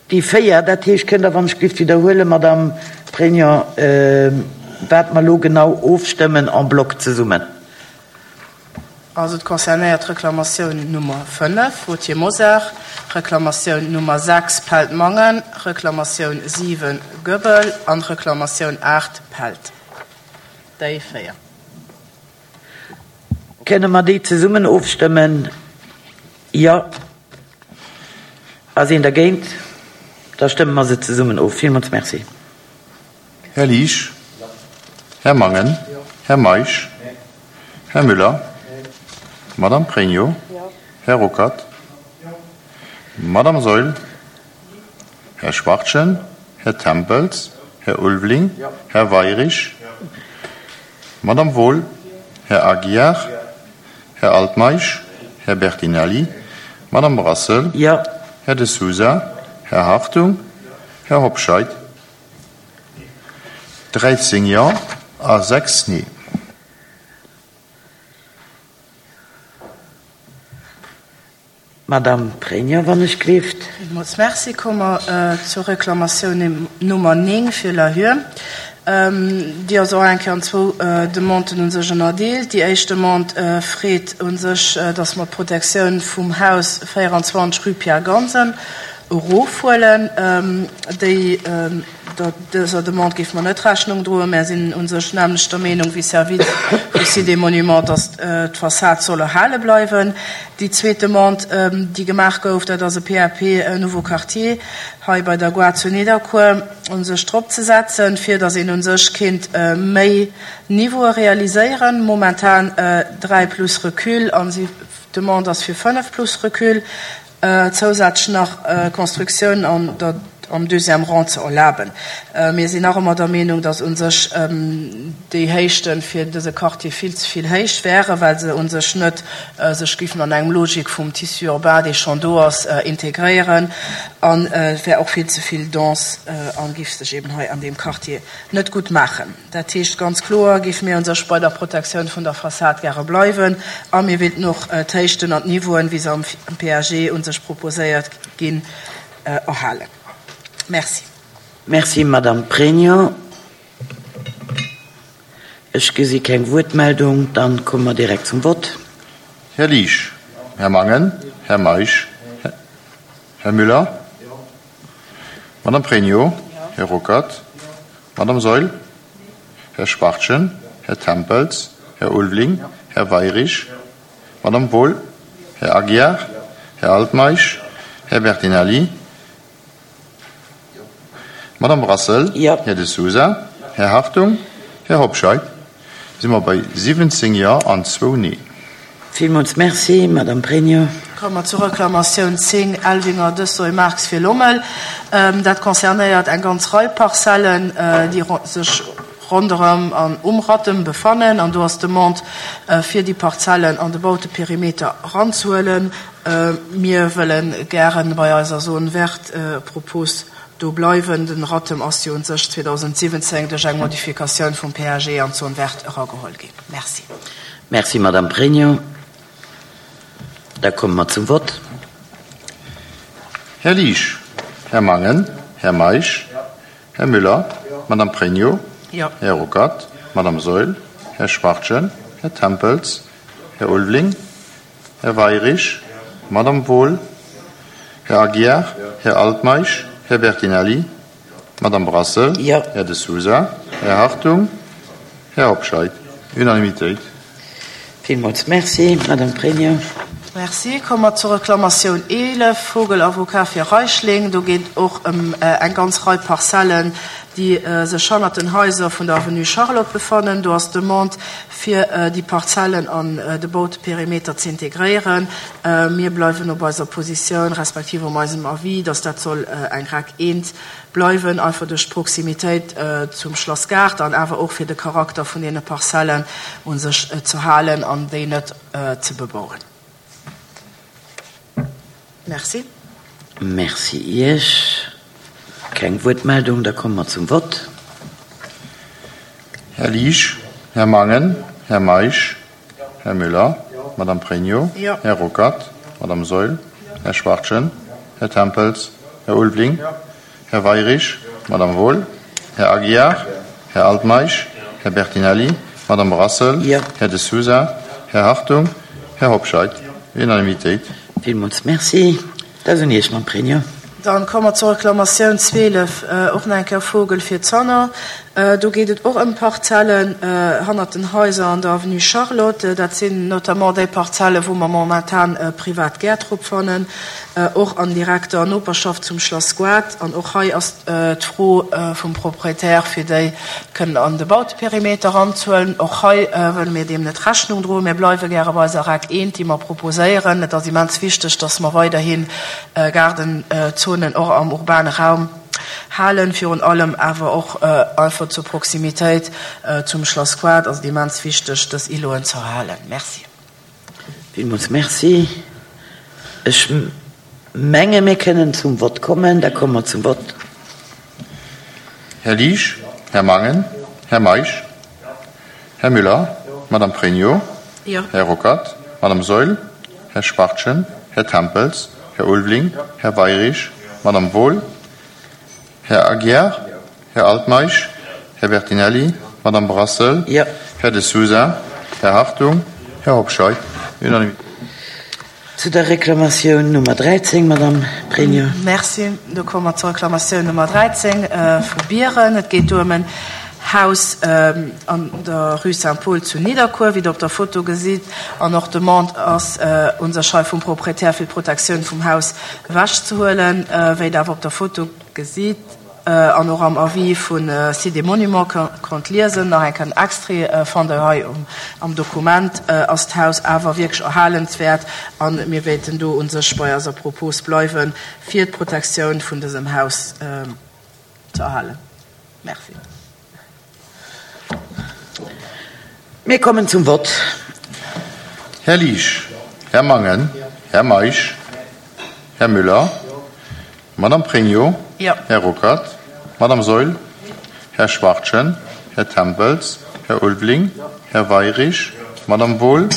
Déi 4, dat heescht, kënnt Der wann ech géif widderhuelen, Madame Pregno, wat mer elo genau ofstëmmen en bloc zesummen? Also et concernéiert d'Reklamatioun Nummer 5, Wauthier-Mosar, Reklamatioun Nummer 6, Pelt-Mangen, Reklamatioun 7, Goebel, an Reklamatioun 8, Pelt. Déi 4. Kënne mer déi zesummen ofstëmmen? Jo. Ass een dergéint? Da stëmme mer se zesummen of. Villmools Merci. Här Liesch? Här Mangen? Här Meisch? Här Müller? Madame Pregno? Här Ruckert? Madame Saeul? Här Schwachtgen? Här Tempels? Här Ulveling? Här Weirich? Madame Wohl, Här Aguiar, Här Altmeisch, Här Bertinelli, Madame Brassel, Här De Sousa, Här Hartung, Här Hobscheit. 13 Jo a 6 Nee. Madame Pregno, wann ech gleeft. Villmools Merci. Komme mer zur Reklamatioun Nummer 9 fir Lahure. Déi ass och eng Kéier an zwou Demanden u sech ënnerdeelt. Déi éischt Demande freet u sech, dass mer d'Protektioun vum Haus 24 rue Pierre Gansen erofhuelen. Déi Dëser Demande géife mer net Rechnung droen. Mär sinn u sech nämmlecht der Meenung wéi Service vu Sites et Monuments, dass d'Fassad soll erhale bleiwen. Déi zweet Demande, déi gemaach gouf, dat ass e PAP Nouveau Quartier hei bei der Gare zu Nidderkuer u sech drop ze setzen, fir dass een u sech kéint méi Niveaue realiséieren. Momentan 3 plus Recul an d'Demande ass fir 5 plus Recul. zousätzlech nach Constructiounen an der, am deuxième rang ze erlaben. Mir sinn nach ëmmer der Meenung, dass u sech déi Héichte fir dëse Quartier vill ze vill héich wären, well se u sech net sech géifen an engem Logik vum Tissu urbain, dee schonn do ass, integréieren an et wär och vill ze vill dense a géif sech eben hei an deem Quartier net gutt maachen. Dat heescht, ganz kloer géife mir u sech bei der Protektioun vun der Fassad gäre bleiwen a mir wéilten och d'Héichten an d'Niveauen, wéi se am PAG u sech proposéiert ginn, erhalen. Merci. Merci, Madame Pregno. Ech gesi keng Wuertmeldung. Dann komme mer direkt zum Vott. Här Liesch, Här Mangen, Här Meisch, Här Müller, Madame Pregno, Här Ruckert, Madame Saeul, Här Schwachtgen, Här Tempels, Här Ulveling, Här Weirich, Madame Wohl, Här Aguiar, Här Altmeisch, Här Bertinelli, Madame Brassel, Här De Sousa, Här Hartung, Här Hobscheit. Si mer bei 17 Jo an zwou Nee. Villmools Merci, Madame Pregno. Komme mer zur Reklamatioun 10, Elvinger, Dessoy, Marx fir Lommel. Dat concernéiert eng ganz Rei Parzellen, déi sech ronderëm an um Rattem befannen. An do ass d'Demande, fir déi Parzellen an de Bauteperimeter eranzehuelen. Mir wëlle gäre bei eiser Zone verte Propos do bleiwen. Den Rattem ass jo un sech 2017 duerch eng Modifikatioun vum PAG an d'Zone verte erageholl ginn. Merci. Merci, Madame Pregno. Da komme mer zum Vott. Här Liesch, Här Mangen, Här Meisch, Här Müller, Madame Pregno, Här Ruckert, Madame Saeul, Här Schwachtgen, Här Tempels, Här Ulveling, Här Weirich, Madame Wohl, Här Aguiar, Här Altmeisch, Här Bertinelli, Madame Brassel, Här De Sousa, Här Hartung, Här Hobscheit. Unanimitéit. Villmools Merci, Madame Pregno. Merci. Komme mer zur Reklamatioun 11, Vogel Avocat fir Reichling. Do geet et och ëm eng ganz Rei Parzellen, déi sech hannert den Haiser vun der Avenue Charlotte befannen. Do ass d'Demande, fir déi Parzellen an de Bauteperimeter ze integréieren. Mir bleiwen op eiser Positioun, respektiv op eisem Avis, dass dat soll eng REC eent bleiwen, einfach duerch d'Proximitéit zum Schlass Gaart an awer och fir de Charakter vun deene Parzellen u sech ze halen an déi net ze bebauen. Merci. Merci Iech. Keng Wuertmeldung, da komme mer zum Vott. Här Liesch, Här Mangen, Här Meisch, Här Müller, Madame Pregno, Här Ruckert, Madame Saeul, Här Schwachtgen, Här Tempels, Här Ulveling, Här Weirich, Madame Wohl, Här Aguiar, Här Altmeisch, Här Bertinelli, Madame Brassel, Här De Sousa, Här Hartung, Här Hobscheit. Unanimitéit. Villmools Merci. Dat ass un Iech, Mme Pregno. Dann komme mer zur Reklamatioun 12, och nach eng Kéier Vogel fir Zanner. Do geet et och ëm Parzellen hannert den Haiser an der Avenue Charlotte. Dat sinn notamment déi Parzellen, wou mer momentan privat Gäert drop fannen, och an direkter Noperschaft zum Schlass Goart. An och hei ass d'Fro vum Proprietär, fir déi kënnen an de Bauteperimeter eranzehuelen. Och hei wëlle mir deem net Rechnung droen. Mir bleiwe gäre bei eiser REC 1, déi mer proposéieren. Et ass immens wichteg, dass mer weiderhi Gaardenzonen och am urbane Raum. halen. Virun allem awer och einfach zur Proximitéit zum Schlass Quart ass et immens wichteg, dës Îloten ze erhalen. Merci. Villmools Merci. Ech menge mir kënnen zum Vott kommen. Da komme mer zum Vott. Här Liesch, Här Mangen, Här Meisch, Här Müller, Madame Pregno, Här Ruckert, Madame Saeul, Här Schwachtgen, Här Tempels, Här Ulveling, Här Weirich, Madame Wohl, Här Aguiar, Här Altmeisch, Här Bertinelli, Madame Brassel, Här De Sousa, Här Hartung, Här Hobscheit. Unanimitéit. Zu der Reklamatioun Nummer 13, Madame Pregno. Merci. Do komme mer zur Reklamatioun Nummer 13 vu Bieren. Et geet do ëm en Haus an der Rue Saint-Paul zu Nidderkuer, wéi Der op der Foto gesitt. An och d'Demande ass un sech hei vum Proprietär, fir d'Protektioun vum Haus ewechzehuelen, wéi Der awer op der Foto gesitt an och am Avis vu Sites et Monuments konnt liesen, nach eng Kéier en Extrait fannt Der hei am Dokument, ass d'Haus awer wierklech erhalenswäert a mir wéilten do u sech bei eiser Propos bleiwen, fir d'Protektioun vun dësem Haus ze erhalen. Merci. Mir kommen zum Vott. Här Liesch, Här Mangen, Här Meisch, Här Müller, Madame Pregno, Här Ruckert, Madame Saeul, Här Schwachtgen, Här Tempels, Här Ulveling, Här Weirich, Madame Wohl,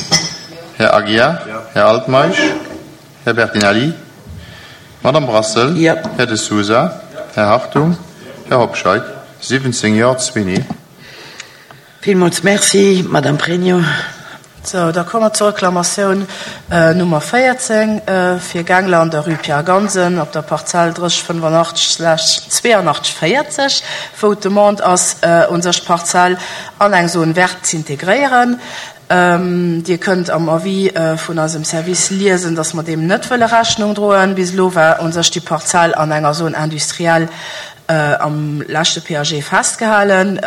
Här Aguiar, Här Altmeisch, Här Bertinelli, Madame Brassel, Här De Sousa, Här Hartung, Här Hobscheit, 17 Jo, zwee Nee. Villmools Merci, Madame Pregno. Sou, da komme mer zur Reklamatioun Nummer 14 fir Gangler an der Rue Pierre Gansen op der Parzell 3085 slash 82 40, wou d'Demande ass, u sech d'Parzell an eng Zone verte z'integréieren. Dir kënnt am Avis vun eisem Service liesen, dass mer deem net wëlle Rechnung droen. Bis elo war u sech déi Parzell an enger Zone industrielle am leschte PAG festgehalen.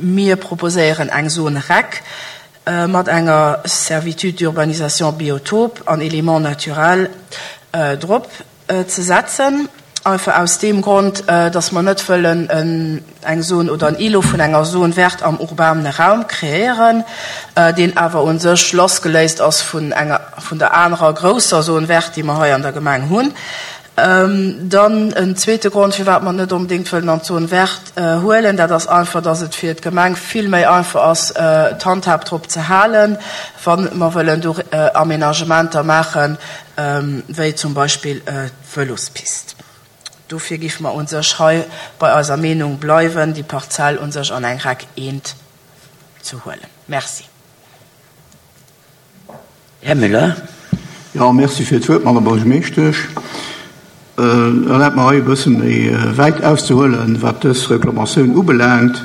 Mir proposéieren eng Zone rec mat enger Servitude d'urbanisation biotope an Éléments naturels drop ze setzen, einfach aus deem Grond, dass mer net wëllen eng Zone oder en Îlot vun enger Zone verte am urbane Raum kreéieren, deen awer u sech lassgeléist ass vun enger, vun der anerer grousser Zone verte, déi mer hei an der Gemeng hunn. Dann en zweete Grond, firwat mer et net onbedéngt wëllen an d'Zone verte huelen, dat ass einfach, dass et fir d'Gemeng vill méi einfach ass, d'Handhab drop ze halen, wa mer wëllen do Aménagementer maachen, wéi zum Beispill d'Vëlospist. Dofir géife mer u sech hei bei eiser Meenung bleiwen, déi Parzell u sech an eng Rec eent ze huelen. Merci. Här Müller. Jo, merci fir d'Wuert, Madame Buergermeeschtesch. Erlaabt mer hei e bësse méi wäit auszehuelen, wat dës Reklamatioun ubelaangt.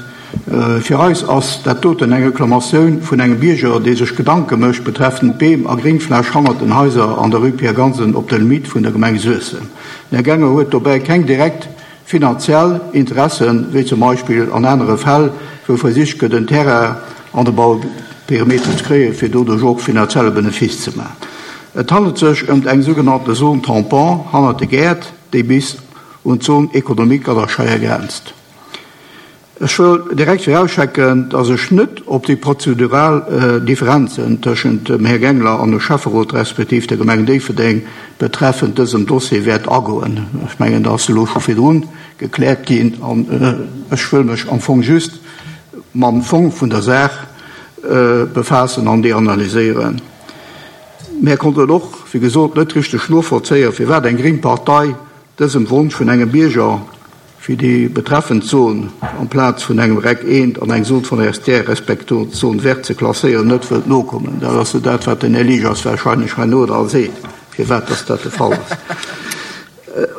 Fir eis ass dat doten eng Reklamatioun vun engem Bierger, dee sech Gedanke mécht betreffend d'Beem a Gréngfläch hannert den Haiser an der Rue Pierre Gansen op der Limite vun der Gemeng Suessem. Den Här Ganger huet dobäi keng direkt finanziell Interessen, wéi zum Beispill an anere Fäll, wou versicht gëtt, en Terrain an de Bauperimeter ze kréien, fir doduerch och finanzielle Benefice ze maachen. Et handelt sech ëmt eng sougenannte Zone tampon hannert de Gäert, déi bis un d'Zone économique an der Scheier grenzt. Ech wëll direkt virausschecken, dass ech net op déi prozedural Differenzen tëschent dem Här Gangler an dem Schäfferot respektiv der Gemeng Déifferdeng betreffend dësem Dossier wäert agoen. Ech mengen, dat ass elo scho virdrun gekläert ginn an ech wëll mech am Fong just mam Fong vun der Saach befaassen an déi analyséieren. Mär konnten och, wéi gesot, net richteg novollzéien, firwat eng gréng Partei dësem Wonsch vun engem Bierger, fir déi betreffend Zon amplaz vun engem Rec eent an eng Zone forestière respektiv Zone verte ze klasséieren, net wëllt nokommen. Dat ass jo dat, wat den Här Liegers wahrscheinlech herno da seet, firwat dass dat de Fall ass.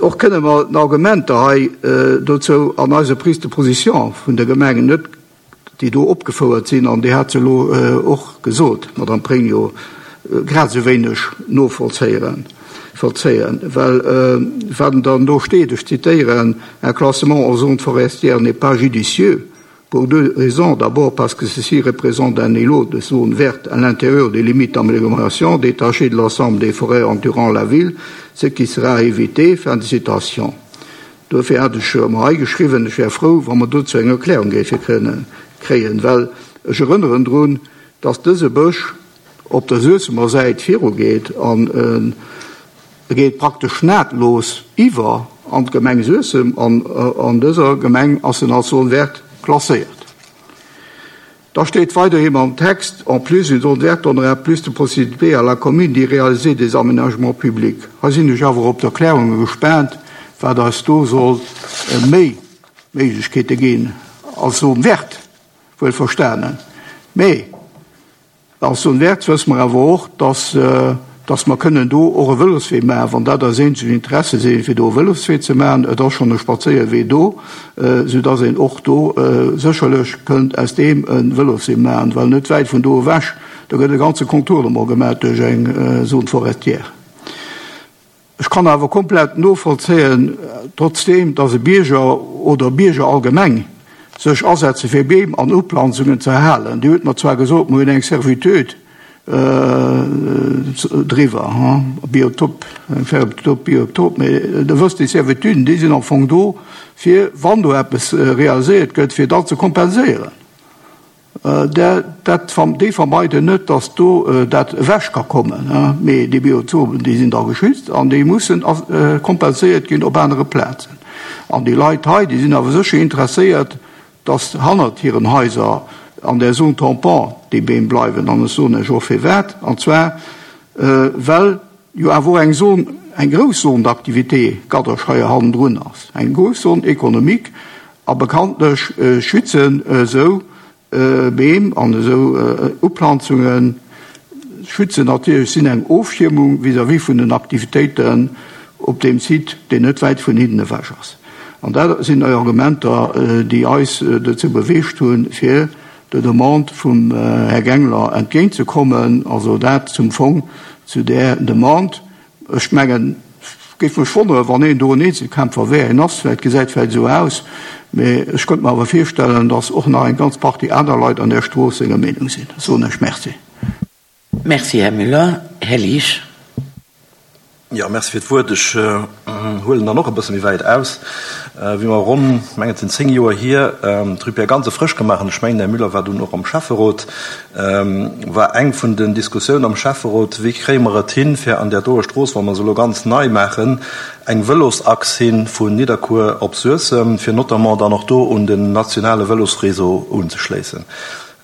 Och kënne mer den Argumenter hei dozou an eiser Prise de position vun der Gemeng net déi do opgefouert sinn, an Dir hat se elo och gesot, Madame Pregno, grad esou wéineg novollzéieren, vollzéien, well wat dann do steet, ech zitieren, Un classement en zone forestière n'est pas judicieux pour deux raisons, d'abord parce que ceci représente un îlot de zone verte à l'intérieur des limites d'amélioration détachées de l'ensemble des forêts entourant la ville, ce qui sera évité. Fin de citation. Dofir hat ech mer hei geschriwwen, ech wär frou, wa mer dozou eng Erklärung géife kënne kréien, well ech erënneren drun, dass dëse Bësch op der Suessemer Säit virugeet an e geet praktesch nahtlos iwwer an d'Gemeng Suessem an an dëser Gemeng ass en als Zone verte klasséiert. Da steet weiderhi am Text, En plus, une zone verte donnera plus de possibilités à la commune d'y réaliser des aménagements publics. Hei sinn ech awer op d'Erklärunge gespaant, wat eis do soll méi Méiglechkeete ginn als Zone verte, wuel verstanen. Mee Als Zone verte wësse mer awer och, dass, dass mer kënnen do och e Vëloswee maachen, wann dat eis eenzeg Interesse sinn, fir do e Vëloswee ze maachen. Et ass schonn e Spadséierwee do, soudass een och do sécherlech kënnt aus deem e Vëloswee maachen, well net wäit vun do ewech, do gëtt e ganze Contournement gemaach duerch eng Zone forestière. Ech kann awer komplett novollzéien, trotzdeem, dass e Bierger oder Bierger allgemeng sech asetze fir Beem an Uplanzungen ze erhalen. Dir hutt mer zwar gesot, mer hunn eng Servitude driwwer, Biotop, eng Servitude Biotop, mee Der wësst, déi Servituden, déi sinn am Fong do, fir wann do eppes realiséiert gëtt, fir dat ze kompenséieren. Dat, déi vermeiden net, datt do dat ewech ka kommen, mee déi Biotopen, déi sinn da geschützt an déi mussen kompenséiert ginn op anere Plazen. An déi Leit hei, déi sinn awer sécher interesséiert, datt hannert hiren Haiser an där Zone tampon déi Beem bleiwen. An ech soen Iech och firwat, an zwar well jo awer och eng Zone, eng grouss Zone d'activité Gadderscheier hannendrun ass, eng grouss Zone économique, a bekanntlech schützen esou Beem an esou Uplanzunge schützen natierlech, sinn eng Ofschiermung vis-à-vis vun den Aktivitéiten op deem Site, deen net wäit vun hinnen ewech ass. An dat sinn déi Argumenter, déi eis dozou beweegt hunn, fir der Demande vum Här Gangler entgéintzekommen, also dat zum Fong zu där Demande. Ech mengen, et géif mech wonneren, wann een do en Eenzelkämpfer wär. En ass vläicht, gesäit vläicht esou aus, mee ech könnte mer awer virstellen, datt och nach eng ganz Partie aner Leit an där Strooss senger Meenung sinn. Da soen ech Merci. Merci, Här Müller. Här Liesch. Jo, merci fir d'Wuert. Ech huelen dann och e bësse méi wäit aus. Wéi mer ronn, ech mengen et sinn 10 Joer hier, d'Rue Pierre Gansen frësch gemaach hunn, ech mengen, den Här Müller war dunn och am Schäfferot, war eng vun den Diskussiounen am Schäfferot, Wéi kréie mer et hin, fir an där doer Strooss, wa mer se elo ganz nei maachen, eng Vëlosachs hin vun Nidderkuer op Suessem, fir notamment dann och do un den nationale Vëlosréseau unzeschléissen?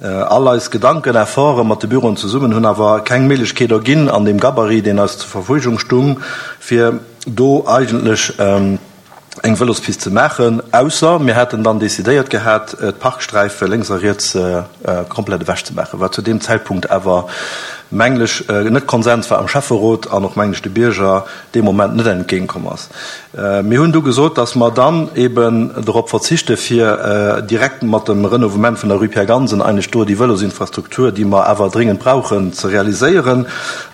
All eis Gedanken, Efforte mat de Büroen zesummen hunn awer keng Méiglechkeet erginn, an deem Gabarit, deen eis zur Verfügung stung, fir do eigentlech eng Vëlospist ze maachen, ausser mir hätten dann decidéiert gehat, d'Parksträife lénks a riets komplett ewechzemaachen, wat zu deem Zäitpunkt awer, mengen ech, net Konsens war am Schäfferot an och, mengen ech, de Bierger dee Moment net entgéintkomm ass. Mir hunn du gesot, dass mer dann eben dorop verzichte fir direkt mat dem Renouvement vun der Rue Pierre Gansen eigentlech do déi Vëlosinfrastruktur, déi mer awer dringend brauchen, ze realiséieren.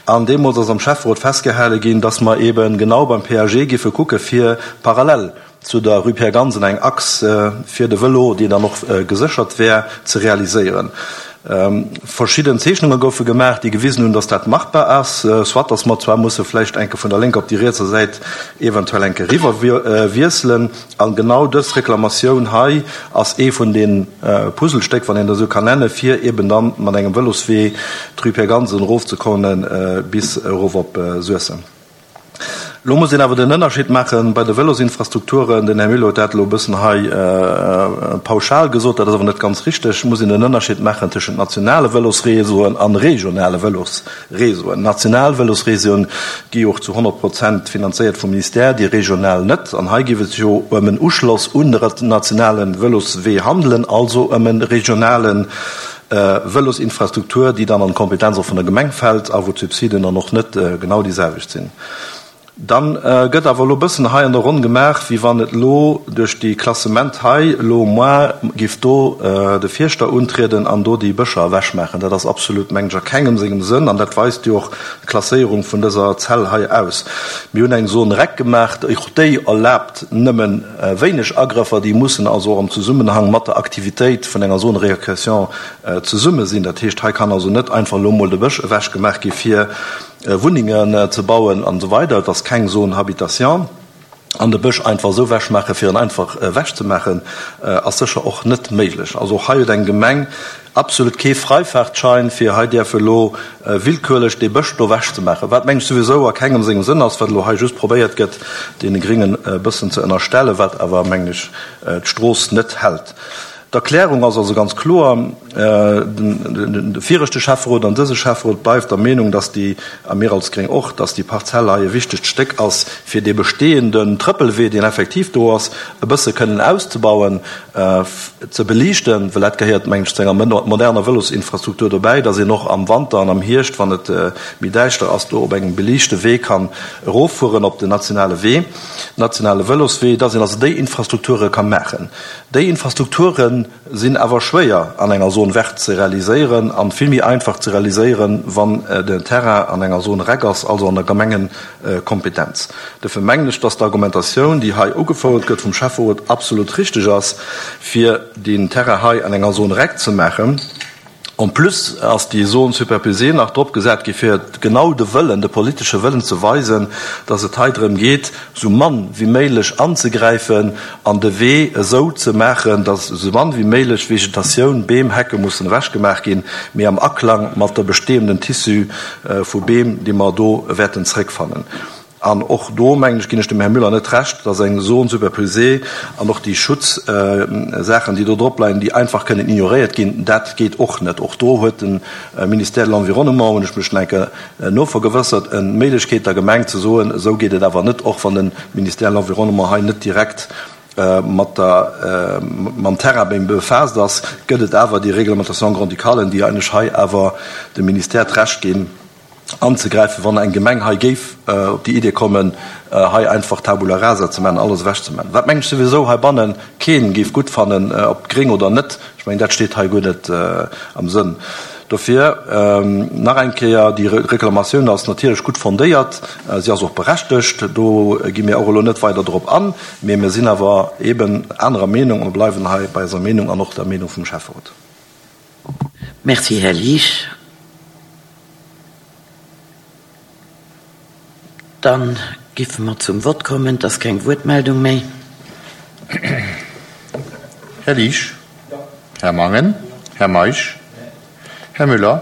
An deemools ass am Schäfferot festgehale ginn, dass mer eben genau beim PAG giffe kucke fir parallel zu der Rue Pierre Gansen eng Achs fir de Vëlo, déi dann och geséchert wär, ze realiséieren. Verschidden Zeechnunge goufe gemaach, déi gewisen hunn, dass dat machbar ass, soit dass mer zwar musse vläicht enke vun der lénker op déi rietser Säit eventuell enke eriwwer wiesselen. An genau dës Reklamatioun hei ass ee vun de Puzzlestéck, wann een dat esou kann nennen, fir eben dann mat engem Vëloswee d'Rue Pierre Gansen erofzekomme bis erof op Suessem. Elo muss een awer den Ënnerscheed maache bei de Vëlosinfrastrukturen, den Här Mille huet dat elo e bëssen hei pauschal gesot, dat ass awer net ganz richteg, muss een den Ënnerscheed maachen tëschent nationale Vëlosreseauen a regionale Vëlosreseauen. National Vëlosreseauen gi jo och zu 100 Prozent finanzéiert vum Ministère, déi regional net. An hei géif et sech jo ëm en Uschloss un de nationale Vëloswee handelen, also ëm e regionale Vëlosinfrastruktur, déi dann an d'Kompetenz och vun der Gemeng fält a wou d'Subsiden dann och net genau déi selwecht sinn. Dann gëtt awer elo e bëssen hei an der Ronn gemaach, wéi wann et elo duerch déi Klassement hei elo moar giff do de Fierschter untrieden an do déi Bëscher ewechmaachen. Dat ass absolut, mengen ech, a kengem sengem Sënn an dat weist jo och d'Klasséierung vun dëser Zell hei aus. Mir hunn eng Zone rec gemaach, och déi erlaabt nëmmen Wéineg Agrëffer, déi mussen also och am Zesummenhang mat der Aktivitéit vun enger Zone récréation zesumme sinn. Dat heescht, hei kann also net einfach elo emol de Bësch ewechgemaach gi fir Wunnengen ze bauen an esou weider. Et ass keng Zone habitation. An de Bësch einfach esou wechmaachen, fir en einfach wechzemaachen, ass sécher och net méiglech. Also och hei huet eng Gemeng absolut kee Freifahrtschein, fir hei däerfe elo willkürlech dee Bësch do wechzemaachen, wat, mengen ech, souwisou a kengem sengem Sënn ass, wat elo hei just probéiert gëtt, deene Gringen e bëssen ze ënnerstellen, wat awer, mengen ech, d'Strooss net hält. D'Erklärung ass also ganz kloer, De viregte Schäfferot an dëse Schäfferot bleift der Meenung, dass déi, a mir als Gréng och, dass déi Parzell hei e wichtegt Stéck ass, fir dee bestehenden Trëppelwee, deen effektiv do ass, e bësse kënnen auszebauen, ze beliichten, well dat gehéiert, mengen ech, zu enger moderner Vëlosinfrastruktur dobäi, dass een och am Wanter an am Hierscht, wann et méi däischter ass, do op engem beliichte Wee kann eroffueren op den nationale Wee, nationale Vëloswee, dass een also déi Infrastrukture ka maachen. Déi Infrastrukture sinn awer schwéier an enger Zone verte ze realiséieren an vill méi einfach ze realiséieren, wann den Terrain an enger Zone rec ass, also an der Gemengekompetenz. Dofir mengen ech, dass d'Argumentatioun, déi hei ugefouert gëtt vum Schäfferot, absolut richteg ass, fir deen Terrain hei an enger Zone rec ze maachen. En plus ass déi Zone superposée nach drop gesat gi fir genau de Wëllen, de politesche Wëllen ze weisen, dass et hei drëm geet, esou mann wéi méiglech anzegräifen an de Wee esou ze maachen, dass esou mann wéi méiglech Vegetatioun, Beem, Hecke mussen ewechgemaach ginn, mee am Aklang mat der bestehenden Tissu vu Beem, déi mer do wäerten zréckfannen. An och do, mengen ech, ginn ech dem Här Müller net Recht, dass eng Zone superposée an och déi Schutzsaachen, déi do drop leien, déi einfach kënnen ignoréiert ginn, dat geet och net. Och do huet de Ministère de l'Environnement, hunn ech mech nach eng Kéier novergewëssert, eng Méiglechkeet der Gemeng ze soen, esou geet et awer net, och wann de Ministère de l'Environnement hei net direkt mat der, mam Terrain befaasst ass, gëtt et awer déi Réglementation grand-ducale, déi eigentlech hei awer dem Ministère d'Recht ginn, anzegräifen, wann eng Gemeng hei géif op déi Idee kommen, hei einfach Tabula rasa ze maachen, alles ewech ze maachen, wat mengen ech souwisou heibanne keen géif gutt fannen, ob gréng oder net, ech mengen dat steet hei guer net am Sënn. Dofir nach eng Kéier, déi Reklamatioun ass natierlech gutt fondéiert, si ass och berechtegt, do gi mir och elo net weider drop an, mee mir sinn awer eeben anerer Meenung a mir bleiwen hei bei eiser Meenung an och der Meenung vum Schäfferot. Merci, Här Liesch. Dann géife mer zum Vott kommen. Et ass keng Wuertmeldung méi. Här Liesch. Här Mangen. Här Meisch. Här Müller.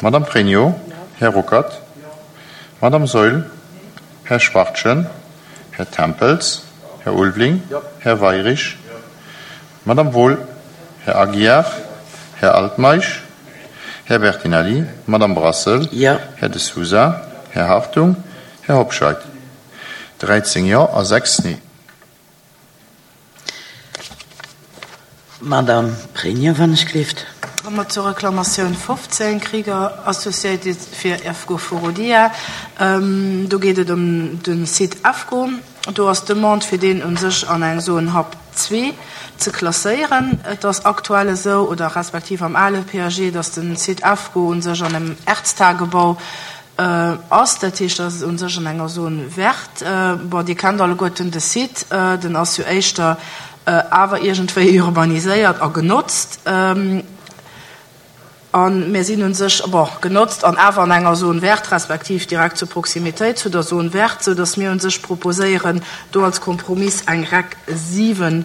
Madame Pregno. Här Ruckert. Madame Saeul. Här Schwachtgen. Här Tempels. Här Ulveling. Här Weirich. Madame Wohl, Här Aguiar, Här Altmeisch, Här Bertinelli, Madame Brassel, Här De Sousa, Här Hartung, Här Hobscheit. 13 Jo a 6 Nee. Madame Pregno, wann ech gleeft. Komme mer zur Reklamatioun 15, Krieger Associated fir EFCO Forodia. Do geet et ëm de Site EFCO. Do ass d'Demande, fir deen u sech an eng Zone Hub 2 ze klasséieren. Et ass aktuell esou, oder respektiv am ale PAG, datt de Site AFCO u sech an engem Erztagebau ass. Dat heescht, dat ass u sech an enger Zone verte. Bon, Dir kennt alleguerten de Site, den ass jo éischter awer iergendwéi urbaniséiert a genotzt. A mir sinn u sech, bon, genotzt an awer an enger Zone verte, respektiv direkt zur Proximitéit zu der Zone verte, soudass mir u sech proposéieren, do als Kompromiss eng REC 7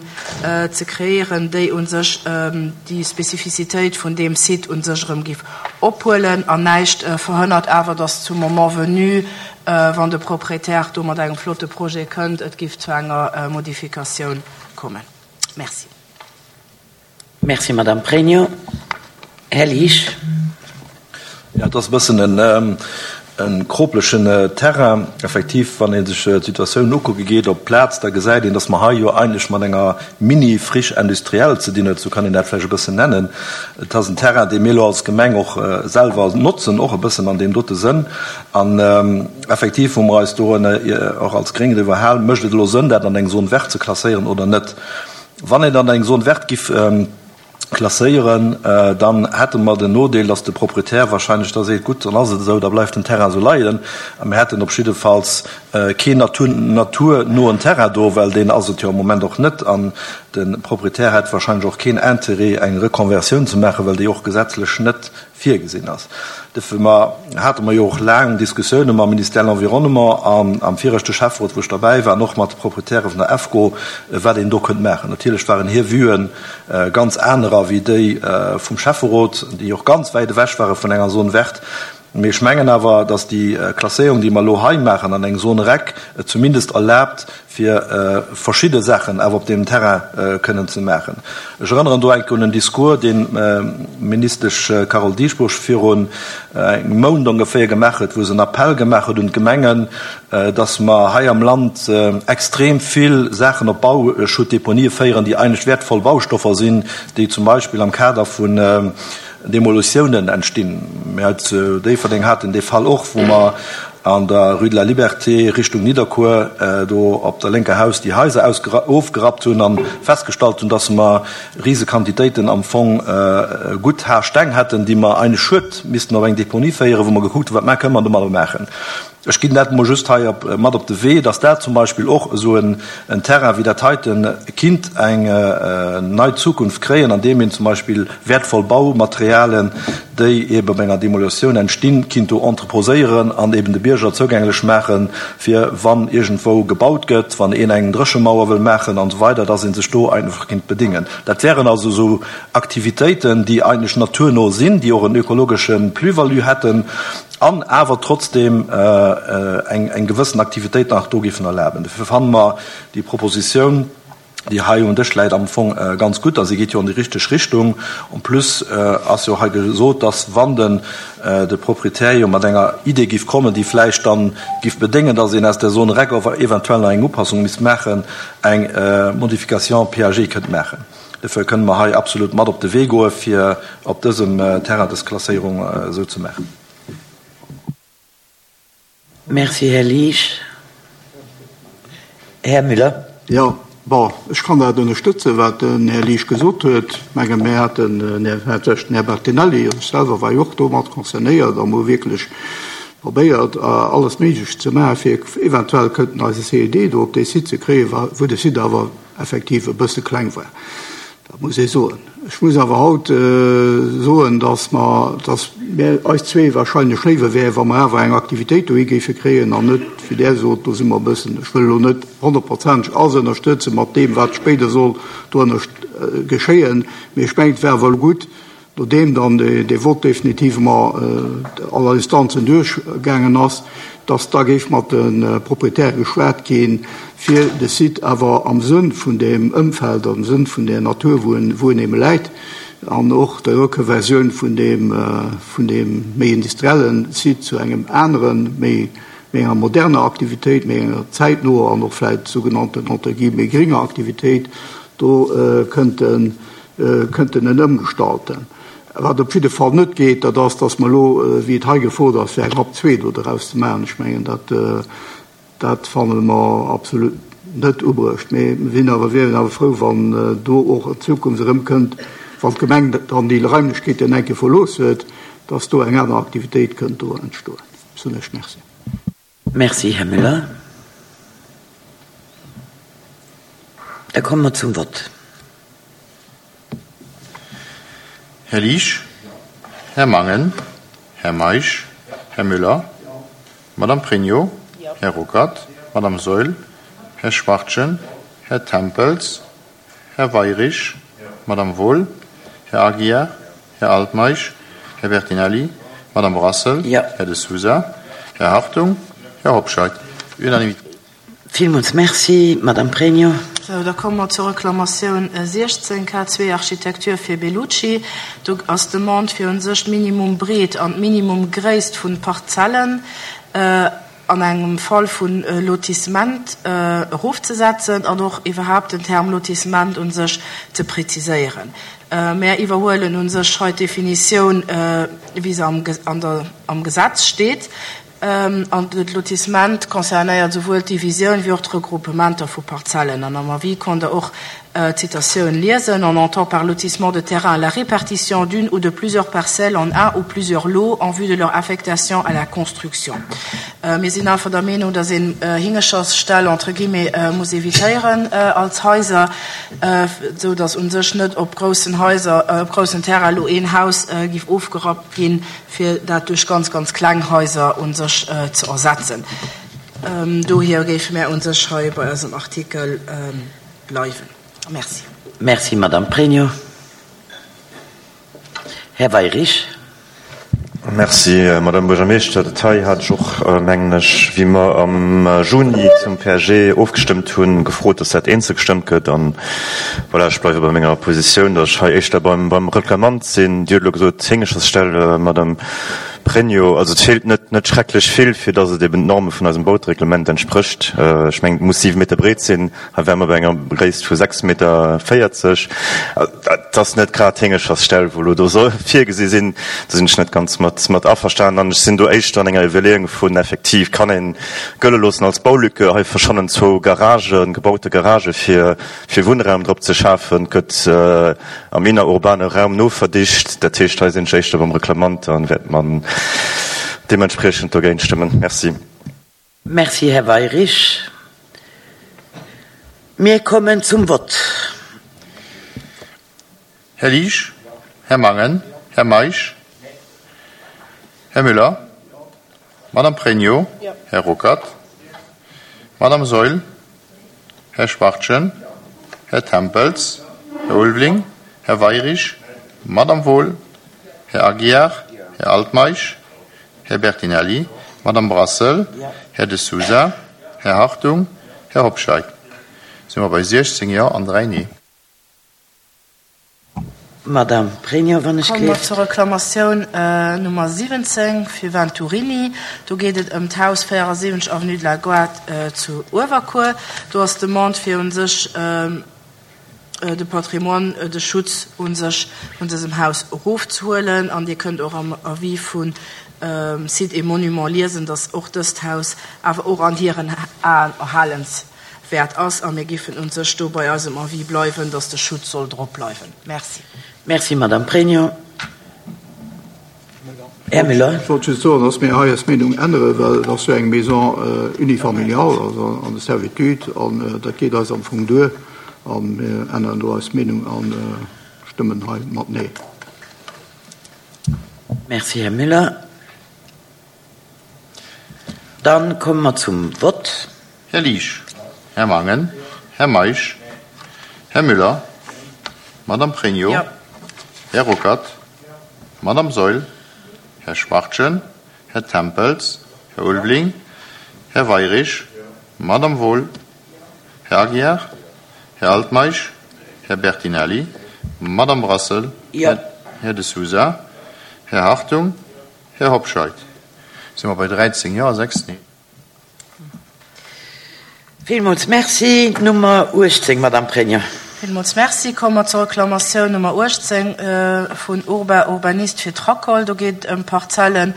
ze kreéieren, déi u sech déi Spezifizitéit vun deem Site u sech erëm géif ophuelen. An näischt verhënnert awer, dass zum Moment venu, wann de Propriétaire do mat engem flotte Projet kënnt, et géif zu enger Modifikatioun kommen. Merci. Merci, Madame Pregno. Här Liesch. Jo, et ass e bëssen e kroplechen Terrain. Effektiv, wann ee sech d'Situatioun ukucke geet op d'Plaz, da gesäit een, datt mer hei jo eigentlech mat enger Mini-Friche industrielle ze dinn huet, esou kann een dat vläicht e bëssen nennen. Et ass en Terrain, dee mir elo als Gemeng och selwer notzen, och e bëssen an deem dote Sënn. An effektiv hu mer eis do och als Gréng driwwer hal, Mécht et elo Sënn, dat an eng Zone verte ze klasséieren oder net? Wann een an eng Zone verte giff klasséieren, dann hätte mer den Nodeel, dass de Proprietär wahrscheinlech da seet, gutt, dann ass et esou, da bleift den Terrain esou leien. A mir hätten op jiddefalls Keen naturnoen Terrain do, well deen ass et jo am Moment och net. An de Proprietär hätt wahrscheinlech och keen Intérêt, eng Reconversioun ze maachen, well déi och gesetzlech net virgesinn ass. Duerfir hate mer jo och laang Diskussioune mam Ministère de l'Environnement an am viregte Schäfferot, wou ech derbäi war, an och mat de Proprietäre vun der EFCO, wat een do kënnt maachen. Natierlech waren hir Vuen ganz anerer wéi déi vum Schäfferot, déi och ganz wäit ewech ware vun enger Zone verte. Mee ech mengen awer, dass déi Klasséierung, déi mer elo hei maachen an eng Zone rec, et zumindest erlaabt, fir verschidde Saachen awer op deem Terrain kënnen ze maachen. Ech erënneren do enke un en Discours, deen d'Ministesch Carole Dieschbourg virun engem Mount ongeféier gemaach huet, wou se en Appell gemaach huet un d'Gemengen, dass mer hei am Land extrem vill Saachen op Bauschuttdeponië féieren, déi eigentlech wäertvoll Baustoffer sinn, déi zum Beispill am Kader vun Demolutiounen entstinn. Mir hei zu Déifferdeng haten dee Fall och, wou mer an der Rue de la Liberté Richtung Nidderkuer do op der lénker Haus déi Haiser ofgerappt hunn a festgestallt hunn, dass mer rise Quantitéiten am Fong gutt Haarsteng hätten, déi mer eigentlech schued missten op eng Deponie féieren, wou mer gekuckt hunn, wat kënne mer domadder maachen. Ech ginn dat emol just hei mat op de Wee, dass dat zum Beispill och esou en Terrain wéi dat heite kinnt eng nei Zukunft kréien, andeem een zum Beispill wäertvoll Baumaterialen, déi eebe bei enger Demolitioun entstinn, kinnt do entreposéieren an eeben de Bierger zougänglech maachen, fir wann iergendwou gebaut gëtt, wann een eng Dréchemauer wëll maachen an esou weider, dass ee sech do einfach kinnt bedéngen. Dat wären also esou Aktivitéiten, déi eigentlech naturno sinn, déi och en ökologesche Plus-value hätten. an awer trotzdem eng gewëssen Aktivitéit nach do géifen erlaben. Dofir fanne mer déi Propositioun, déi hei um Dësch läit, am Fong ganz gutt a si geet jo an déi richteg Richtung. En plus ass jo hei gesot, dass, wann den de Proprietär jo mat enger Idee géif kommen, déi vläicht dann géif bedéngen, dass een aus der Zone rec eventuell nach eng Upassung misst maachen, eng Modification PAG kënnt maachen. Dofir kënne mer hei absolut mat op de Wee goe fir op dësem Terrain dës Klasséierung esou ze maachen. Merci, Här Liesch. Här Müller. Jo, bon, ech kann dat ënnerstëtzen, wat den Här Liesch gesot huet. Ech menge mir haten, den Här Bertinelli, ech selwer war jo och do mat concernéiert a mir hu wierklech probéiert, alles Méiglecht ze maachen, fir eventuell kënnten eise CED do op dee Site ze kréien, wou de Site awer effektiv e bësse kleng war, dat muss ee soen. Ech muss awer haut soen, dass mer, dass mir eis zwee wahrscheinlech léiwer wär, wa mer awer eng Aktivitéit dohi géife kréien an net, wéi Der sot, do si mer e bëssen, ech wëll elo net honnertprozenteg alles ënnerstëtze mat deem, wat spéider soll do geschéien, mee ech mengen, et wär awer elo gutt, Nodeem dann dee Vott definitivement aller Instanzen duerchgaangen ass, dass da géif mat de Proprietäre geschwat ginn, fir de Site awer am Sënn vun deem Ëmfeld, am Sënn vun där Natur, wou en, wou en ebe läit, an och der Reconversioun vun deem, vun deem méi industrielle Site zu engem aneren, méi, méi enger moderner Aktivitéit, méi enger zäitnoer an och vläicht sougenannten, entre guillemets, gringer Aktivitéit do kënnten kënnten en ëmgestalten. Wat op jidde Fall net geet, dat ass, datt mer elo, wéi et hei gefrot ass, fir eng RAP 2 do doraus ze maachen. Ech mengen, dat, dat fanne mer absolut net ubruecht. Mee mir sinn awer, wieren awer frou, wann do och an Zukunft erëm kënnt, wann d'Gemeng dann déi Raimlechkeeten eng Kéier verlooss huet, datt do eng aner Aktivitéit kënnt do entstoen. Soen ech Merci. Merci, Här Müller. Da komme mer zum Vott. Här Liesch, Här Mangen, Här Meisch, Här Müller, Madame Pregno, Här Ruckert, Madame Saeul, Här Schwachtgen, Här Tempels, Här Weyrich, Madame Wohl, Här Aguiar, Här Altmeisch, Här Bertinelli, Madame Brassel, Här De Sousa, Här Hartung, Här Hobscheit. Unanimité. Villmools Merci, Madame Pregno. Sou, da komme mer zur Reklamatioun 16, K2 Architecture fir Bellucci. Do ass d'Demande fir u sech d'Minimum-Breet an d'Minimum-Gréisst vun Parzellen an engem Fall vu Lotissement erofzesetzen an och iwwerhaapt den Term Lotissement u sech ze präziséieren. Mär iwwerhuelen u sech hei d'Definitioun, wéi se am Gesetz steet. An de Lotissement concernéiert esouwuel d'Divisioun wéi och d'Regroupementer vu Parzellen. An am Avis konnt Der och. D'Citatioun liesen, On entend par lotissement de terrain la répartition d'une ou de plusieurs parcelles en un ou plusieurs lots en vue de leur affectation à la construction. Mir sinn einfach der Meenung, dass een Hingeschersställ entre guillemets muss évitéieren als Haiser, esou dass u sech net op groussen Haiser, op groussen Terrain elo een Haus giff ofgerappt ginn, fir dat duerch ganz, ganz kleng Haiser u sech ze ersetzen. Dohier géife mär u sech hei bei eisem Artikel bleiwen. Merci. Merci, Madame Pregno. Här Weyrich. Merci, Madame Buergermeeschter. Dat hei hat ech och, mengen ech, wéi mer am Juni zum PAG ofgestëmmt hunn, gefrot, dass dat eenzel gestëmmt gëtt. An voilà, ech bleiwe bei menger Positioun, dass ech hei éischter beim, beim Reklamant sinn. Dir hutt elo gesot, Héngeschersstell, Madame Pregno. Also et feelt net, net schrecklech vill, fir dass et eben d'Norme vun eisem Bautereglement entsprécht. Ech mengen, et muss 7 Meter breet sinn. Hei ware mer bei enger Gréisst vu 6 Meter 40. Et ass net grad d'Héngeschersstell, wou elo do soll virgesi sinn. Do sinn ech net ganz mat mat averstanen. An ech sinn do éischter an enger Iwwerleeung vun, effektiv kann ee gëlle loossen als Baulücke. Hei verschwannen zwou Garagen, gebaute Garagë fir fir Wunnraum drop ze schafen. Et gëtt am innerurbane Raum noverdicht. Dat heescht, hei sinn ech éischter beim Reklamant a wäert mer deementspriechend dogéint stëmmen. Merci. Merci, Här Weyrich. Mir kommen zum Vott. Här Liesch, Här Mangen, Här Meisch, Här Müller, Madame Pregno, Här Ruckert, Madame Saeul, Här Schwachtgen, Här Tempels, Här Ulveling, Här Weyrich, Madame Wohl, Här Aguiar, Här Altmeisch, Här Bertinelli, Madame Brassel, Här De Sousa, Här Hartung, Här Hobscheit, si mer bei 16 Jo an 3 Nee. Madame Pregno, wann ech Komme mer zur Reklamatioun Nummer 17 fir Venturini. Do geet et ëm d'Haus 74 avenue de la Gare zu Uewerkuer. Do ass d'Demande fir u sech, de Patrimoine, de Schutz u sech vun dësem Haus erofzehuelen. An Dir kënnt och am Avis vu Sites et Monuments liesen, dass och dëst Haus awer och an hiren Aen erhalenswäert ass. A mir giffen u sech do bei eisem Avis bleiwen, dass de Schutz soll drop bleiwen. Merci. Merci, Madame Pregno. Här Müller. Ech wollt just soen, dass mir hei eis Meenung änneren, well et ass jo eng Maison unifamiliale, also an de Servitude, an dat geet eis am Fong duer. A mir änneren do eis Meenung a stëmmen hei mat Nee. Merci, Här Müller. Dann komme mer zum Vott. Här Liesch, Här Mangen, Här Meisch, Här Müller, Madame Pregno, Här Ruckert, Madame Saeul, Här Schwachtgen, Här Tempels, Här Ulveling, Här Weyrich, Madame Wohl, Här Aguiar, Här Altmeisch, Här Bertinelli, Madame Brassel, Här De Sousa, Här Hartung, Här Hobscheit. Si mer bei 13 Jo a 6 Nee. Villmools Merci. D'Nummer 18, Madame Pregno. Villmools Merci. Komme mer zur Reklamatioun Nummer 18 vun Urba Urbaniste fir d'Racol. Do geet et ëm Parzellen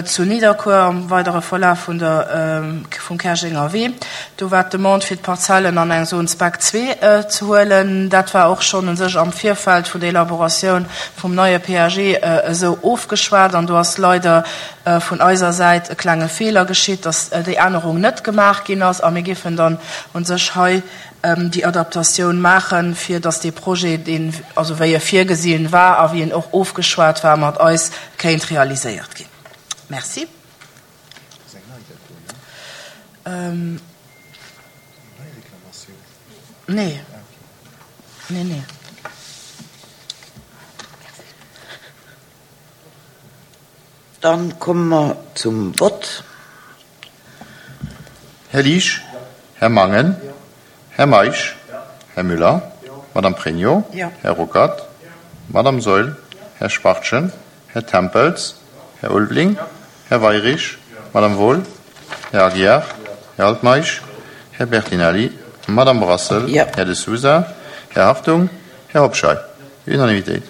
zu Nidderkuer am weidere Verlaf vun der, vum Käerjenger Wee. Do war d'Demande fir d'Parzellen an eng Zone Spec 2 ze huelen. Dat war och schonn u sech am Virfeld vun der Elaboratioun vum neie PAG esou ofgeschwat an do ass leider vun eiser Säit e klenge Feeler geschitt, dass déi Ännerung net gemaach ginn ass a mir géifen dann u sech hei déi Adaptatioun maachen, fir dass dee Projet, deen, also wéi e virgesinn war a wéi en och ofgeschwat war mat eis, kéint realiséiert ginn. Merci. Nee. Nee, nee. Dann komme mer zum Vott. Här Liesch, Här Mangen, Här Meisch, Här Müller, Madame Pregno, Här Ruckert, Madame Saeul, Här Schwachtgen, Här Tempels, Här Ulveling, Här Weyrich, Madame Wohl, Här Aguiar, Här Altmeisch, Här Bertinelli, Madame Brassel, Här De Sousa, Här Hartung, Här Hobscheit. Unanimitéit.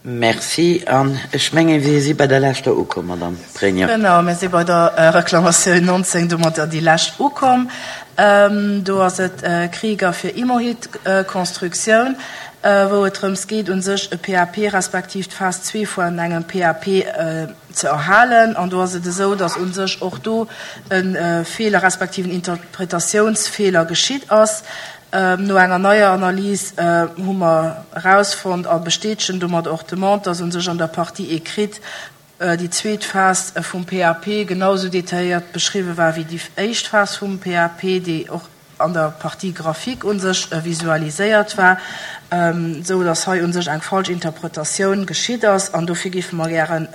Merci. An ech mengen, mir si bei der leschter ukomm, Madamm Pregno. Genau, mir si bei der Reklamatioun 19, domadder déi lescht ukomm. Do ass et Krieger fir Imohit Constructioun, wou et drëms geet, u sech e PAP respektiv d'Phas zwee vun engem PAP ze erhalen. An do ass et esou, datt u sech och do e Feeler respektiv en Interpretatiounsfeeler geschitt ass. No enger neier Analys hu mer erausfonnt a bestätegen domat och d'Demande, dass u sech an der Partie écrite déi zweet Phas vum PAP genau esou detailléiert beschriwwe war wéi déi éischt Phas vum PAP, déi och an der Partie graphique u sech visualiséiert war, esou dass hei u sech eng falsch Interpretatioun geschitt ass. An dofir géife mer gären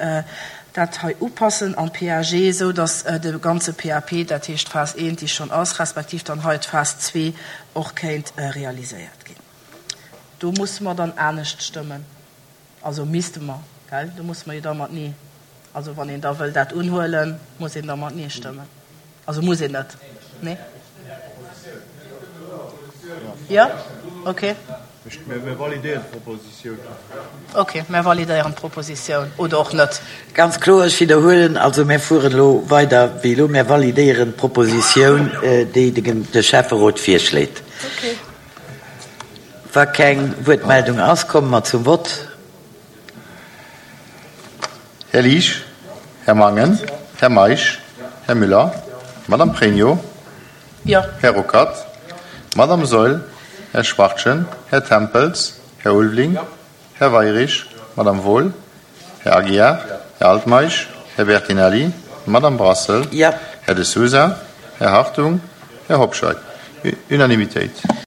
dat hei upassen am PAG, esou dass de ganze PAP, dat heescht d'Phas I, déi schonn ass, respektiv dann hei d'Phas ii och kéint realiséiert ginn. Do musse mer dann anescht stëmmen, also misste mer, gell, do musse mer jo da mat Nee, also wann een da wëll dat unhuelen, muss een da mat Nee stëmmen. Also muss een net, nee? Jo? Ok. Mir validéieren d'Propositioun. Ok, mir validéieren d'Propositioun oder och net. Ganz kloer, ech widderhuelen, also mir fueren elo weider wéi elo. Mir validéieren d'Propositioun, déi de Schäfferot virschléit. Wa keng Wuertmeldung ass, komme mer zum Vott. Här Liesch, Här Mangen, Här Meisch, Här Müller, Madame Pregno, Här Ruckert, Madame Saeul, Här Schwachtgen, Här Tempels, Här Ulveling, Här Weirich, Madame Wohl, Här Aguiar, Här Altmeisch, Här Bertinelli, Madame Brassel, Här De Sousa, Här Hartung, Här Hobscheit. Unanimitéit.